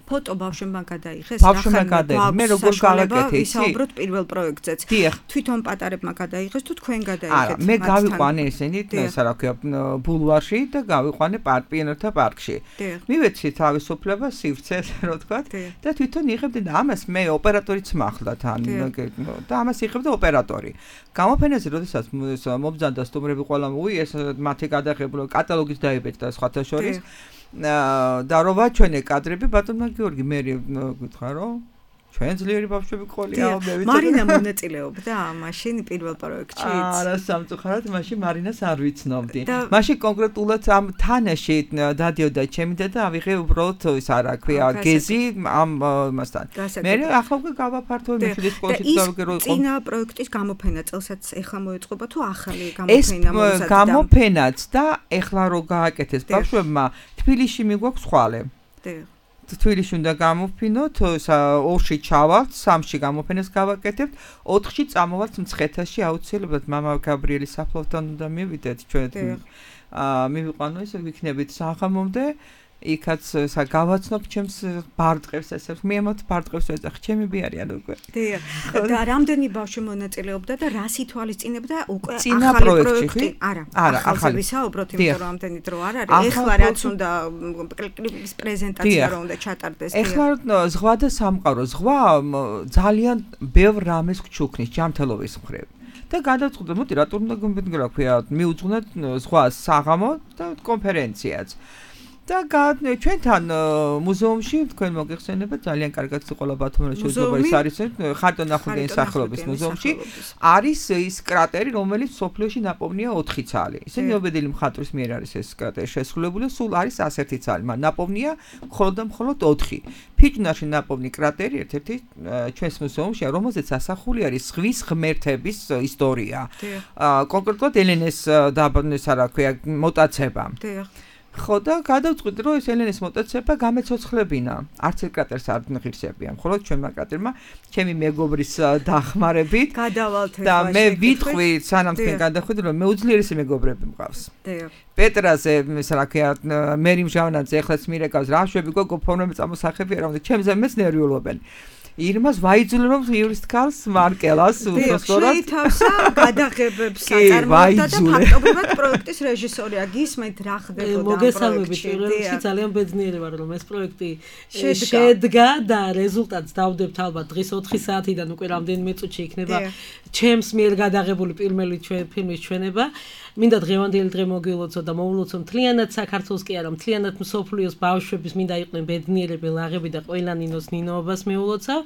ფოტო ბავშვებმა გადაიღეს ბავშვებმა გადაიღეს მე როგორ გავაკეთე იცი ვისაუბროთ პირველ პროექტზეც თვითონ პატარებმა გადაიღეს თუ თქვენ გადაიღეთ არა მე გავიყვანე ესენი ესა რა ქვია ბულვარში და გავიყვანე პიენერთა პარკში მივეცი თავისუფლება სივრცე რო თქვა და თვითონ იღებდი და ამას მე ოპერატორიც მახლა თან და ამას იღებდა ოპერატორი გამოფენაზე როდესაც მობძანდა სტუმრები ყველა უი ეს მათი გადაღებულო კატალოგის დაიბეჭდა სხვათა შორის და რო ვაჩვენე კადრები ბატონმა გიორგი მე გითხრა რომ ჩვენ ძლიერი ბავშვები ყოლია მე ვიცი მარინა მონაწილეობდა მაშინ პირველ პროექტში არა სამწუხაროდ მაშინ მარინას არ ვიცნობდი მაშინ კონკრეტულად ამ თანაში დადიოდა ჩემი და ავიღე უბრალოდ ის არა ქვია გეზი ამ მასთან მე ახლა უკვე გავაფართოვე მეშვიდე სკოლაში დავიგე რომ წინა პროექტის გამოფენა წელსაც ეხლა მოეწყობა თუ ახალი გამოფენა ეს გამოფენაც და ეხლა რო გააკეთეს ბავშვებმა თბილისში მიგვაქვს ხვალე თბილისში უნდა გამოვფინოთ, ორში ჩავალთ, სამში გამოფენას გავაკეთებთ, ოთხში წამოვალთ მცხეთაში აუცილებლად მამა გაბრიელის საფლავთან უნდა მივიდეთ ჩვენ. აა მივიყვანო ესე ვიქნებით საღამომდე იქაც სა გავაცნობ ჩემს ბარტყებს ესე მიემოთ ბარტყებს ეძახ ჩემები არიან უკვე დიახ და რამდენი ბავშვი მონაწილეობდა და რა სითვალისწინებდა უკვე ახალი პროექტი არა ახალზე ვისაუბროთ იმიტომ რომ ამდენი დრო არ არის ეხლა რაც უნდა კლიპის პრეზენტაცია რომ უნდა ჩატარდეს ეხლა ზღვა და სამყარო ზღვა ძალიან ბევრ რამეს გჩუქნის ჯანმრთელობის მხრივ და გადაწყვეტა მოდი რატომ უნდა გომბინგ რა ქვია მიუძღვნათ ზღვა საღამო და კონფერენციაც და ჩვენთან მუზეუმში თქვენ მოგეხსენებათ ძალიან კარგად სიყოლა ბათუმში შეძობა ის არის ხარტონ ახალგაზრდების სახელობის მუზეუმში არის ის კრატერი რომელიც სოფლიოში ნაპოვნია ოთხი ცალი ისინი ობედელი მხატვრის მიერ არის ეს კრატერი შესრულებული სულ არის ასეთი ცალი მაგრამ ნაპოვნია მხოლოდ და მხოლოდ ოთხი ფიჭვნარში ნაპოვნი კრატერი ერთ-ერთი ჩვენს მუზეუმში რომელზეც ასახული არის ზღვის ღმერთების ისტორია კონკრეტულად ელენეს დაბანეს რა ქვია მოტაცება ხო და გადავწყვიტე რომ ეს ელენეს მოტაცება გამეცოცხლებინა. არც ერთ კრატერს არ ღირსებიან. მხოლოდ ჩვენმა კრატერმა ჩემი მეგობრის დახმარებით გადავალთ და მე ვიტყვი სანამ თქვენ გადახვიდეთ რომ მე უძლიერესი მეგობრები მყავს. დიახ. პეტრაზე ეს რა ქვია მერი მჟავანაძე ეხლაც მირეკავს რა შვები გოგო ფორმები წამოსახებია რომ ჩემზე მეც ნერვიულობენ. ირმას ვაიძულე რომ იურისტ კარლს მარკელას უბრალოდ შეითავსა გადაღებებს აწარმოებდა და ფაქტობრივად პროექტის რეჟისორია გისმენთ რა ხდებოდა მოგესალმებით პირველ რიგში ძალიან ბედნიერი ვარ რომ ეს პროექტი შედგა და რეზულტატს დავდებთ ალბათ დღის ოთხი საათიდან უკვე რამდენიმე წუთში იქნება ჩემს მიერ გადაღებული პირველი ფილმის ჩვენება მინდა დღევანდელი დღე მოგილოცო და მოულოცო მთლიანად საქართველოს კი არა მთლიანად მსოფლიოს ბავშვების მინდა იყვნენ ბედნიერები ლაღები და ყველა ნინოს ნინოობას მეულოცავ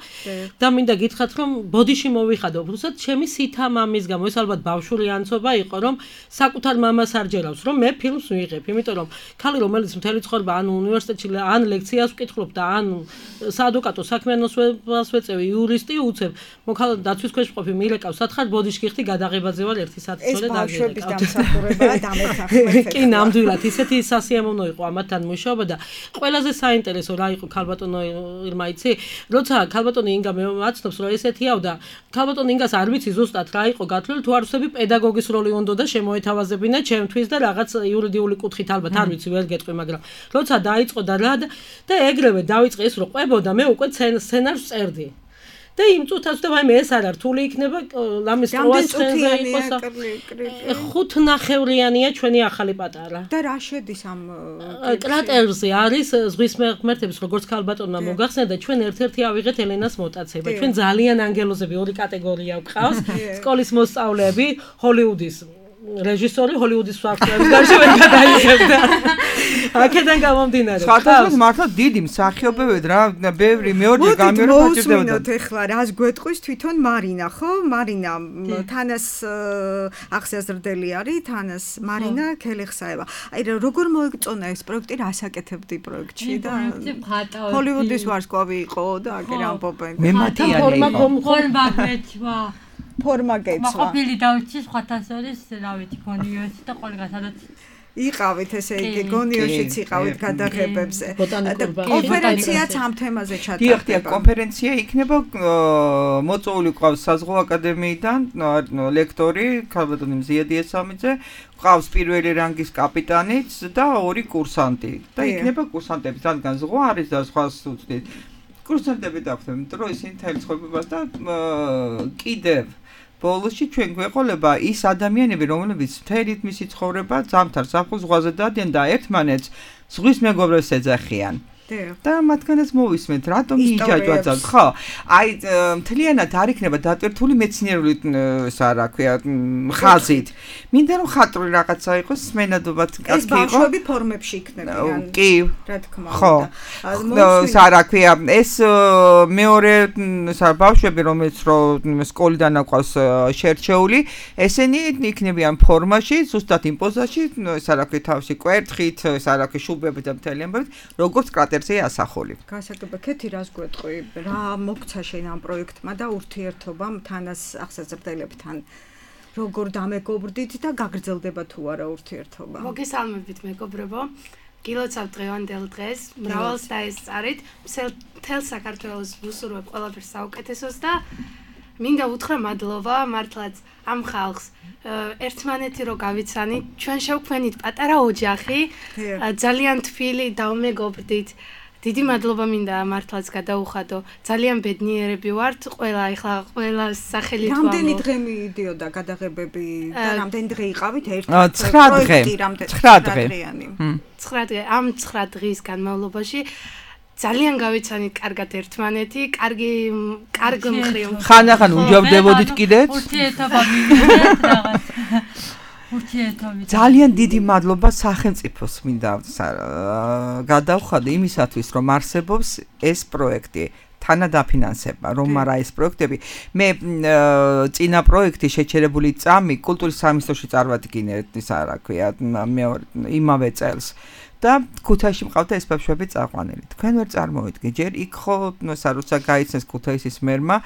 და მინდა გითხრათ რომ ბოდიში მოვიხადე უბრალოდ ჩემი სითა მამის გამო ეს ალბათ ბავშვური ანცობა იყო რომ საკუთარ მამას არ ჯერავს რომ მე ფილმს ვიღებ იმიტომ რომ ქალი რომელიც მთელი ცხოვრება ან უნივერსიტეტში ან ლექციას ვკითხულობ და ან საადვოკატო საქმიანობას ვეწევი იურისტი უცებ მოქალაქე დაცვის ქვეშ მყოფი მილეკავს სათხარ ბოდიში გიხდი გადაღებაზე ვარ ერთი საათი წოლე დაგეკავ სამსახურებაა დამეთახმეთ. კი, ნამდვილად ისეთი სასიამოვნო იყო ამათთან მუშაობა და ყველაზე საინტერესო რა იყო ქალბატონო ირმა იცი, როცა ქალბატონი ინგა მე მაცნობს რომ ესეთიაო და ქალბატონი ინგას არ ვიცი ზუსტად რა იყო გათვლილი თუ არ ვსები პედაგოგის როლი უნდა და შემოეთავაზებინა ჩემთვის და რაღაც იურიდიული კუთხით ალბათ არ ვიცი ვერ გეტყვი მაგრამ როცა დაიწყო და რა და ეგრევე დავიწყე ის რომ ყვებოდა მე უკვე სცენარს წერდი. და იმ წუთას და ვაიმე ეს არ რთული იქნება ლამის პროასხენზე იყოს ხუთნახევრიანია ჩვენი ახალი პატარა და რა შედის ამ კრატერზე არის ზღვის ღმერთების როგორც ქალბატონმა მოგახსენდა ჩვენ ერთ-ერთი ავიღეთ ელენას მოტაცება ჩვენ ძალიან ანგელოზები ორი კატეგორია გვყავს სკოლის მოსწავლეები ჰოლივუდის რეჟისორი ჰოლივუდის ფაქტებს გარშე ვერ გადაიღებდა. აქედან გამომდინარე. ხათას მართლა დიდი მსახიობები რა, ბევრი მეორე გამიორე ფაჭირდებოდა. მოვუსმინოთ ახლა რას გვეტყვის თვითონ მარინა, ხო? მარინა თანას ახსიაზრდელი არის, თანას მარინა ქელიხსაევა. აი როგორ მოეწონა ეს პროექტი, რას აკეთებდი პროექტში და ჰოლივუდის ვარსკვლავი იყო და აგერ ამბობენ. მე მათიანი იყო. ხორმაგეცვა ფორმა გეცვა. მაყოფილი დავიცი სხვათასორის, რა ვიცი, გონიოსი და ყველგან სადაც იყავით ესე იგი გონიოშიც იყავით გადაღებებზე. კონფერენციაც ამ თემაზე ჩატარდება. დიახ, დიახ, კონფერენცია იქნება მოწვეული ყავს საზღვაო აკადემიიდან ლექტორი ქალბატონი მზიადი ესამიძე, ყავს პირველი რანგის კაპიტანიც და ორი კურსანტი. და იქნება კურსანტები, რადგან ზღვა არის და სხვა უცდით. კურსანტები დახვდნენ, იმიტომ რომ ისინი თელ ცხოვრებას და კიდევ ბოლოსში ჩვენ გვეყოლება ის ადამიანები, რომლებიც მთელი მისი ცხოვრება ზამთარ ზაფხულ ზღვაზე დადიან და ერთმანეთს ზღვის მეგობრებს ეძახიან. და მათგანაც მოვისმენთ, რატომ იჯაჯვაძავთ, ხო? აი მთლიანად არ იქნება დატვირთული მეცნიერული ისა რა ქვია ხაზით. მინდა რომ ხატრული რაღაცა იყოს, სმენადობად კაცი იყო. ეს ბავშვები ფორმებში იქნებიან. კი. რა თქმა უნდა. ხო. ისა რა ქვია, ეს მეორე ისა ბავშვები, რომელიც რომ სკოლიდან აყვავს შერჩეული, ესენი იქნებიან ფორმაში, ზუსტად იმ პოზაში, ისა რა ქვია თავში კვერთხით, ისა რა ქვია შუბებით და მთელი ამბებით, როგორც კრატერზე ასახული. გასაგებია, ქეთი რას გვეტყვი, რა მოგცა შენ ამ პროექტმა და ურთიერთობამ თანას ახსაზრდელებთან როგორ დამეგობრდით და გაგრძელდება თუ არა ურთიერთობა? მოგესალმებით მეგობრებო. გილოცავ დღევანდელ დღეს, მრავალს დაესწარით, მთელ საქართველოს ვუსურვებ ყველაფერს საუკეთესოს და მინდა უთხრა მადლობა მართლაც ამ ხალხს ერთმანეთი რო გავიცანით, ჩვენ შევქმნით პატარა ოჯახი, ძალიან თბილი დავმეგობრდით. დიდი მადლობა მინდა მართლაც გადაუხადო. ძალიან ბედნიერები ვართ, ყველა ახლა ყველა სახელი თუ რამდენი დღე მიდიოდა გადაღებები და რამდენი დღე იყავით ერთ ცხრა დღე. ცხრა დღე. ცხრა დღე. ამ ცხრა დღის განმავლობაში ძალიან გავიცანით კარგად ერთმანეთი, კარგი კარგ მხრივ. ხან-ახან უჯავდებოდით კიდეც? ურთიერთობა მივიდეთ რაღაც. ურთიერთობით. ძალიან დიდი მადლობა სახელმწიფოს მინდა გადავხადე იმისათვის, რომ არსებობს ეს პროექტი. თანადაფინანსება, რომ არა ეს პროექტები. მე წინა პროექტი შეჩერებული წამი კულტურის სამინისტროში წარვადგინე, ისა რა ქვია, მეორე იმავე წელს. და ქუთაისში მყავდა ეს ბავშვები წაყვანილი. თქვენ ვერ წარმოვიდგე, ჯერ იქ ხო საროცა გაიცნეს ქუთაისის მერმა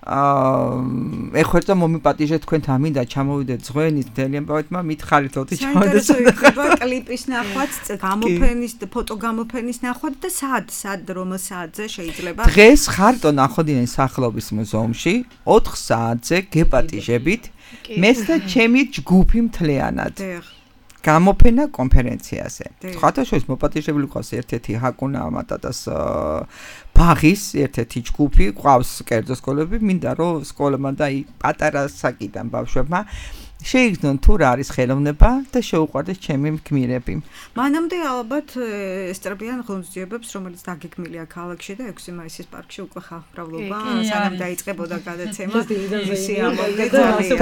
აა ეხერთა მომიპატიჟეთ თქვენ ამინდა ჩამოვიდეთ ზღვენის დელიემბავეთმა მითხარით ლოთი ჩამოვიდეთ. საინტერესო იქნება კლიპის ნახვაც, გამოფენის და ფოტო გამოფენის ნახვაც და სად სად რომელ საათზე შეიძლება? დღეს ხარტო ნახოდინის სახელობის მუზეუმში ოთხ საათზე გეპატიჟებით მეც და ჩემი ჯგუფი მთლიანად. გამოფენა კონფერენციაზე. სხვათა შორის მოპატიჟებული ყავს ერთ-ერთი ჰაკუნა ამატატას ბაღის ერთ-ერთი ჯგუფი, ყავს კერძო სკოლები, მინდა რომ სკოლებმა და პატარა საკიდან ბავშვებმა შეიგრძნონ თუ რა არის ხელოვნება და შეუყვარდეს ჩემი გმირები. მანამდე ალბათ ესწრებიან ღონისძიებებს, რომელიც დაგეგმილია ქალაქში და ექვსი მაისის პარკში უკვე ხალხმრავლობა, სანამ დაიწყებოდა გადაცემა.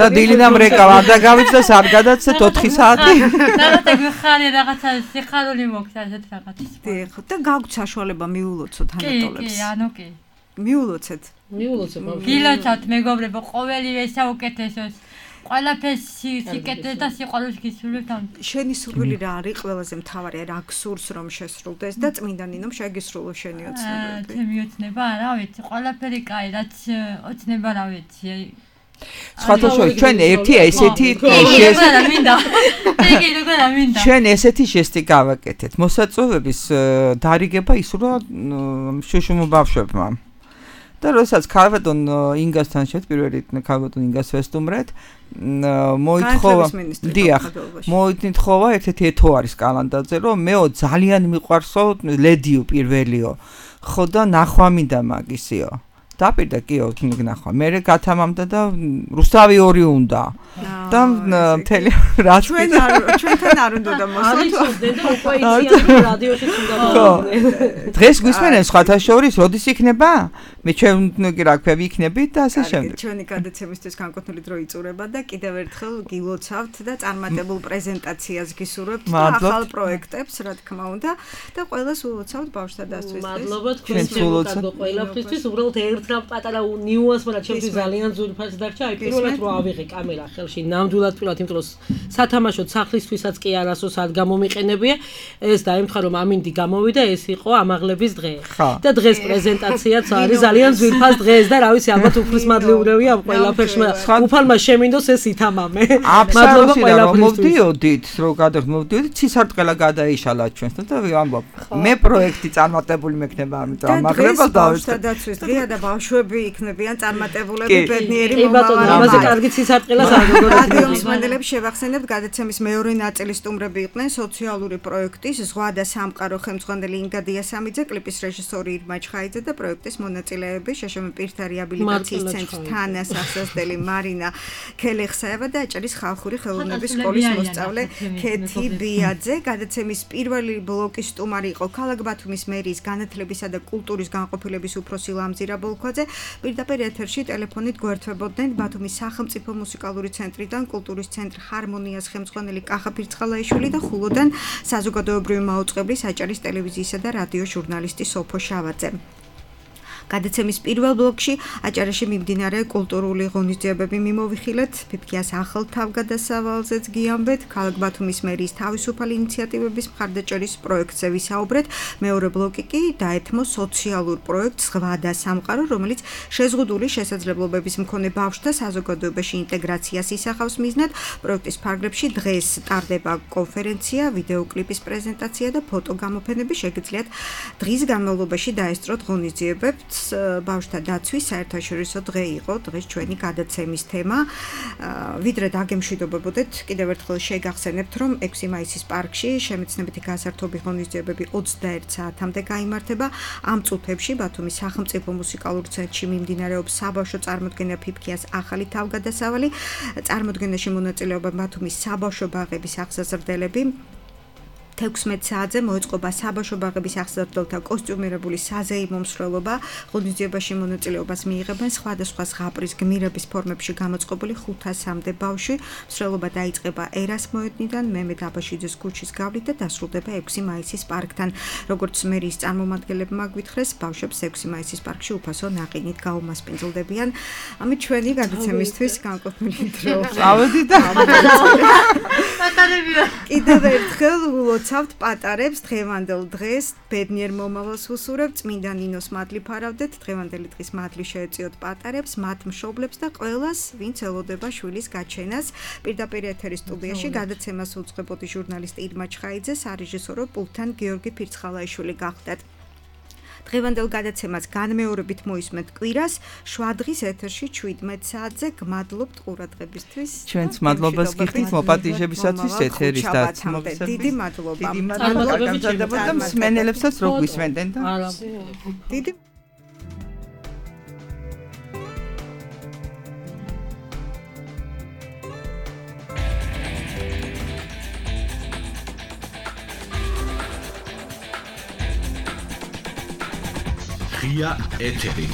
და დილიდან რეკავა და გავიცნეს არ გადაცეთ ოთხი საათი. რაღაცა გხარი რაღაცა სიხარული მოგცა ესეთ რაღაცის. დიახ, და გაგვთ საშუალება მიულოცოთ ანატოლებს. კი, ანუ კი. მიულოცეთ. მიულოცეთ. გილოცავთ მეგობრებო, ყოველივე საუკეთესოს. ყველაფერს სიკეთეს და სიყვარულს გისურვებთ ამ. შენი სურვილი რა არის ყველაზე მთავარი, რა გსურს რომ შესრულდეს და წმინდა ნინომ შეგისრულო შენი ოცნებები. ჩემი ოცნება, რა ვიცი, ყველაფერი კაი, რაც ოცნება რა ვიცი. სხვათა შორის ჩვენ ერთი ესეთი ჩვენ ესეთი ჟესტი გავაკეთეთ. მოსაწვევების დარიგება ისურვა შუშუმ ბავშვებმა. და როდესაც ქალბატონ ინგასთან შეთ პირველი ქალბატონ ინგას ვესტუმრეთ მოითხოვა დიახ მოითხოვა ერთ-ერთი ეთო არის კალანდაძე რომ მეო ძალიან მიყვარსო ლედიო პირველიო ხო და ნახვა მინდა მაგისიო დაპირდა კიო ნახვა მე გათამამდა და რუსთავი ორი უნდა და მთელი რა ჩვენ ჩვენთან არ უნდა და მოსწავლე და უკვე იციან რადიოშიც უნდა მოგვიყვნენ დღეს გვისმენენ სხვათა შორის როდის იქნება მე ჩვენ კი რა ქვია ვიქნებით და ასე შემდეგ ჩვენი გადაცემისთვის განკუთვნილი დრო იწურება და კიდევ ერთხელ გილოცავთ და წარმატებულ პრეზენტაციას გისურვებთ ახალ პროექტებს რა თქმა უნდა და ყველას ულოცავთ ბავშვთა დასწრისთვის მადლობა თქვენს მეგობრებო ყველაფრისთვის უბრალოდ ერთ რა პატარა ნიუანს მაგრამ ჩემთვის ძალიან ძვირფასი დარჩა აი პირველად რო ავიღე კამერა ხელში ნამდვილად პირველად იმიტომ რომ სათამაშო სახლისთვისაც კი არასო სად გამომიყენებია ეს დაემთხა რომ ამინდი გამოვიდა ეს იყო ამაღლების დღე და დღეს პრეზენტაციაც არის ძალიან ძვირფას დღეს და რა ვიცი ალბათ უფლის მადლიურევია ამ ყველაფერში უფალმა შემინდოს ეს ითამამე მადლობა ყველაფრისთვის მოვდიოდით რო გადაგმოვდიოდით ცისარტყელა გადაიშალა ჩვენს და ამბობ მე პროექტი წარმატებული მექნება ამიტომ ამაღლებას დავიწყე დაცვის დღეა და ბავშვები იქნებიან წარმატებულები ბედნიერი მომავალი ამაზე კარგი ცისარტყელას არ გქონდა რადიო მსმენელებს შევახსენებთ გადაცემის მეორე ნაწილის სტუმრები იყვნენ სოციალური პროექტის ზღვა და სამყარო ხელმძღვანელი ინგა დიასამიძე კლიპის რეჟისორი ირმა ჩხაიძე და პროექტის მონაწილეები შეშმ პირთა რეაბილიტაციის ცენტრის თანასახსრელი მარინა ქელეხსაევა და აჭარის ხალხური ხელოვნების სკოლის მოსწავლე ქეთი ბიაძე გადაცემის პირველი ბლოკის სტუმარი იყო ქალაქ ბათუმის მერიის განათლებისა და კულტურის განყოფილების უფროსი ლამზირა ბოლქვაძე პირდაპირ ეთერში ტელეფონით გვერდთვებოდნენ ბათუმის სახელმწიფო მუსიკალური ცენტრიდან კულტურის ცენტრ ჰარმონიას ხელმძღვანელი კახა ფირცხალაიშვილი და ხულოდან საზოგადოებრივი მაუწყებლის აჭარის ტელევიზიისა და რადიოს ჟურნალისტი სოფო შავაძე გადაცემის პირველ ბლოკში აჭარაში მიმდინარე კულტურული ღონისძიებები მიმოვიხილეთ ფიფქიას ახალ თავგადასავალზეც გიამბეთ ქალაქ ბათუმის მერიის თავისუფალი ინიციატივების მხარდაჭერის პროექტზე ვისაუბრეთ მეორე ბლოკი კი დაეთმო სოციალურ პროექტს ზღვა და სამყარო რომელიც შეზღუდული შესაძლებლობების მქონე ბავშვთა საზოგადოებაში ინტეგრაციას ისახავს მიზნად პროექტის ფარგლებში დღეს ტარდება კონფერენცია ვიდეოკლიპის პრეზენტაცია და ფოტოგამოფენები შეგიძლიათ დღის განმავლობაში დაესწროთ ღონისძიებებს ბავშვთა დაცვის საერთაშორისო დღე იყო დღეს ჩვენი გადაცემის თემა ვიდრე დაგემშვიდობებოდეთ კიდევ ერთხელ შეგახსენებთ რომ ექვსი მაისის პარკში შემეცნებითი გასართობი ღონისძიებები ოცდაერთ საათამდე გაიმართება ამ წუთებში ბათუმის სახელმწიფო მუსიკალურ ცენტრში მიმდინარეობს საბავშვო წარმოდგენა ფიფქიას ახალი თავგადასავალი წარმოდგენაში მონაწილეობა ბათუმის საბავშვო ბაღების აღსაზრდელები თექვსმეტ საათზე მოეწყობა საბავშვო ბაღების აღზრდელთა კოსტიუმირებული საზეიმო მსვლელობა ღონისძიებაში მონაწილეობას მიიღებენ სხვადასხვა ზღაპრის გმირების ფორმებში გამოწყობილი ხუთასამდე ბავშვი მსვლელობა დაიწყება ერასმოედნიდან მემედ აბაშიძის ქუჩის გავლით და დასრულდება ექვსი მაისის პარკთან როგორც მერიის წარმომადგენლებმა გვითხრეს ბავშვებს ექვსი მაისის პარკში უფასო ნაყინით გაუმასპინძლდებიან ამით ჩვენი გადაცემისთვის განკუთვნილი დრო წავედი და კიდევ ერთხელ გილოცავთ პატარებს დღევანდელ დღეს, ბედნიერ მომავალს ვუსურებთ, წმინდა ნინოს მადლი ფარავდეთ, დღევანდელი დღის მადლი შეეწიოთ პატარებს, მათ მშობლებს და ყველას, ვინც ელოდება შვილის გაჩენას. პირდაპირ ეთერის სტუდიაში გადაცემას უძღვებოდი ჟურნალისტი ირმა ჩხაიძე, სარეჟისორო პულტთან გიორგი ფირცხალაიშვილი გახდათ. დღევანდელ გადაცემას განმეორებით მოისმენთ კვირას, შვადღის ეთერში შვიდმეტ საათზე. გმადლობთ ყურადღებისთვის. ჩვენც მადლობას გიხდით მოპატიჟებისათვის ეთერის დაცმობისათვის. დიდი მადლობა. დიდი მადლობა და მსმენელებსაც რო გვისმენდნენ და დიდი ღია ეთერი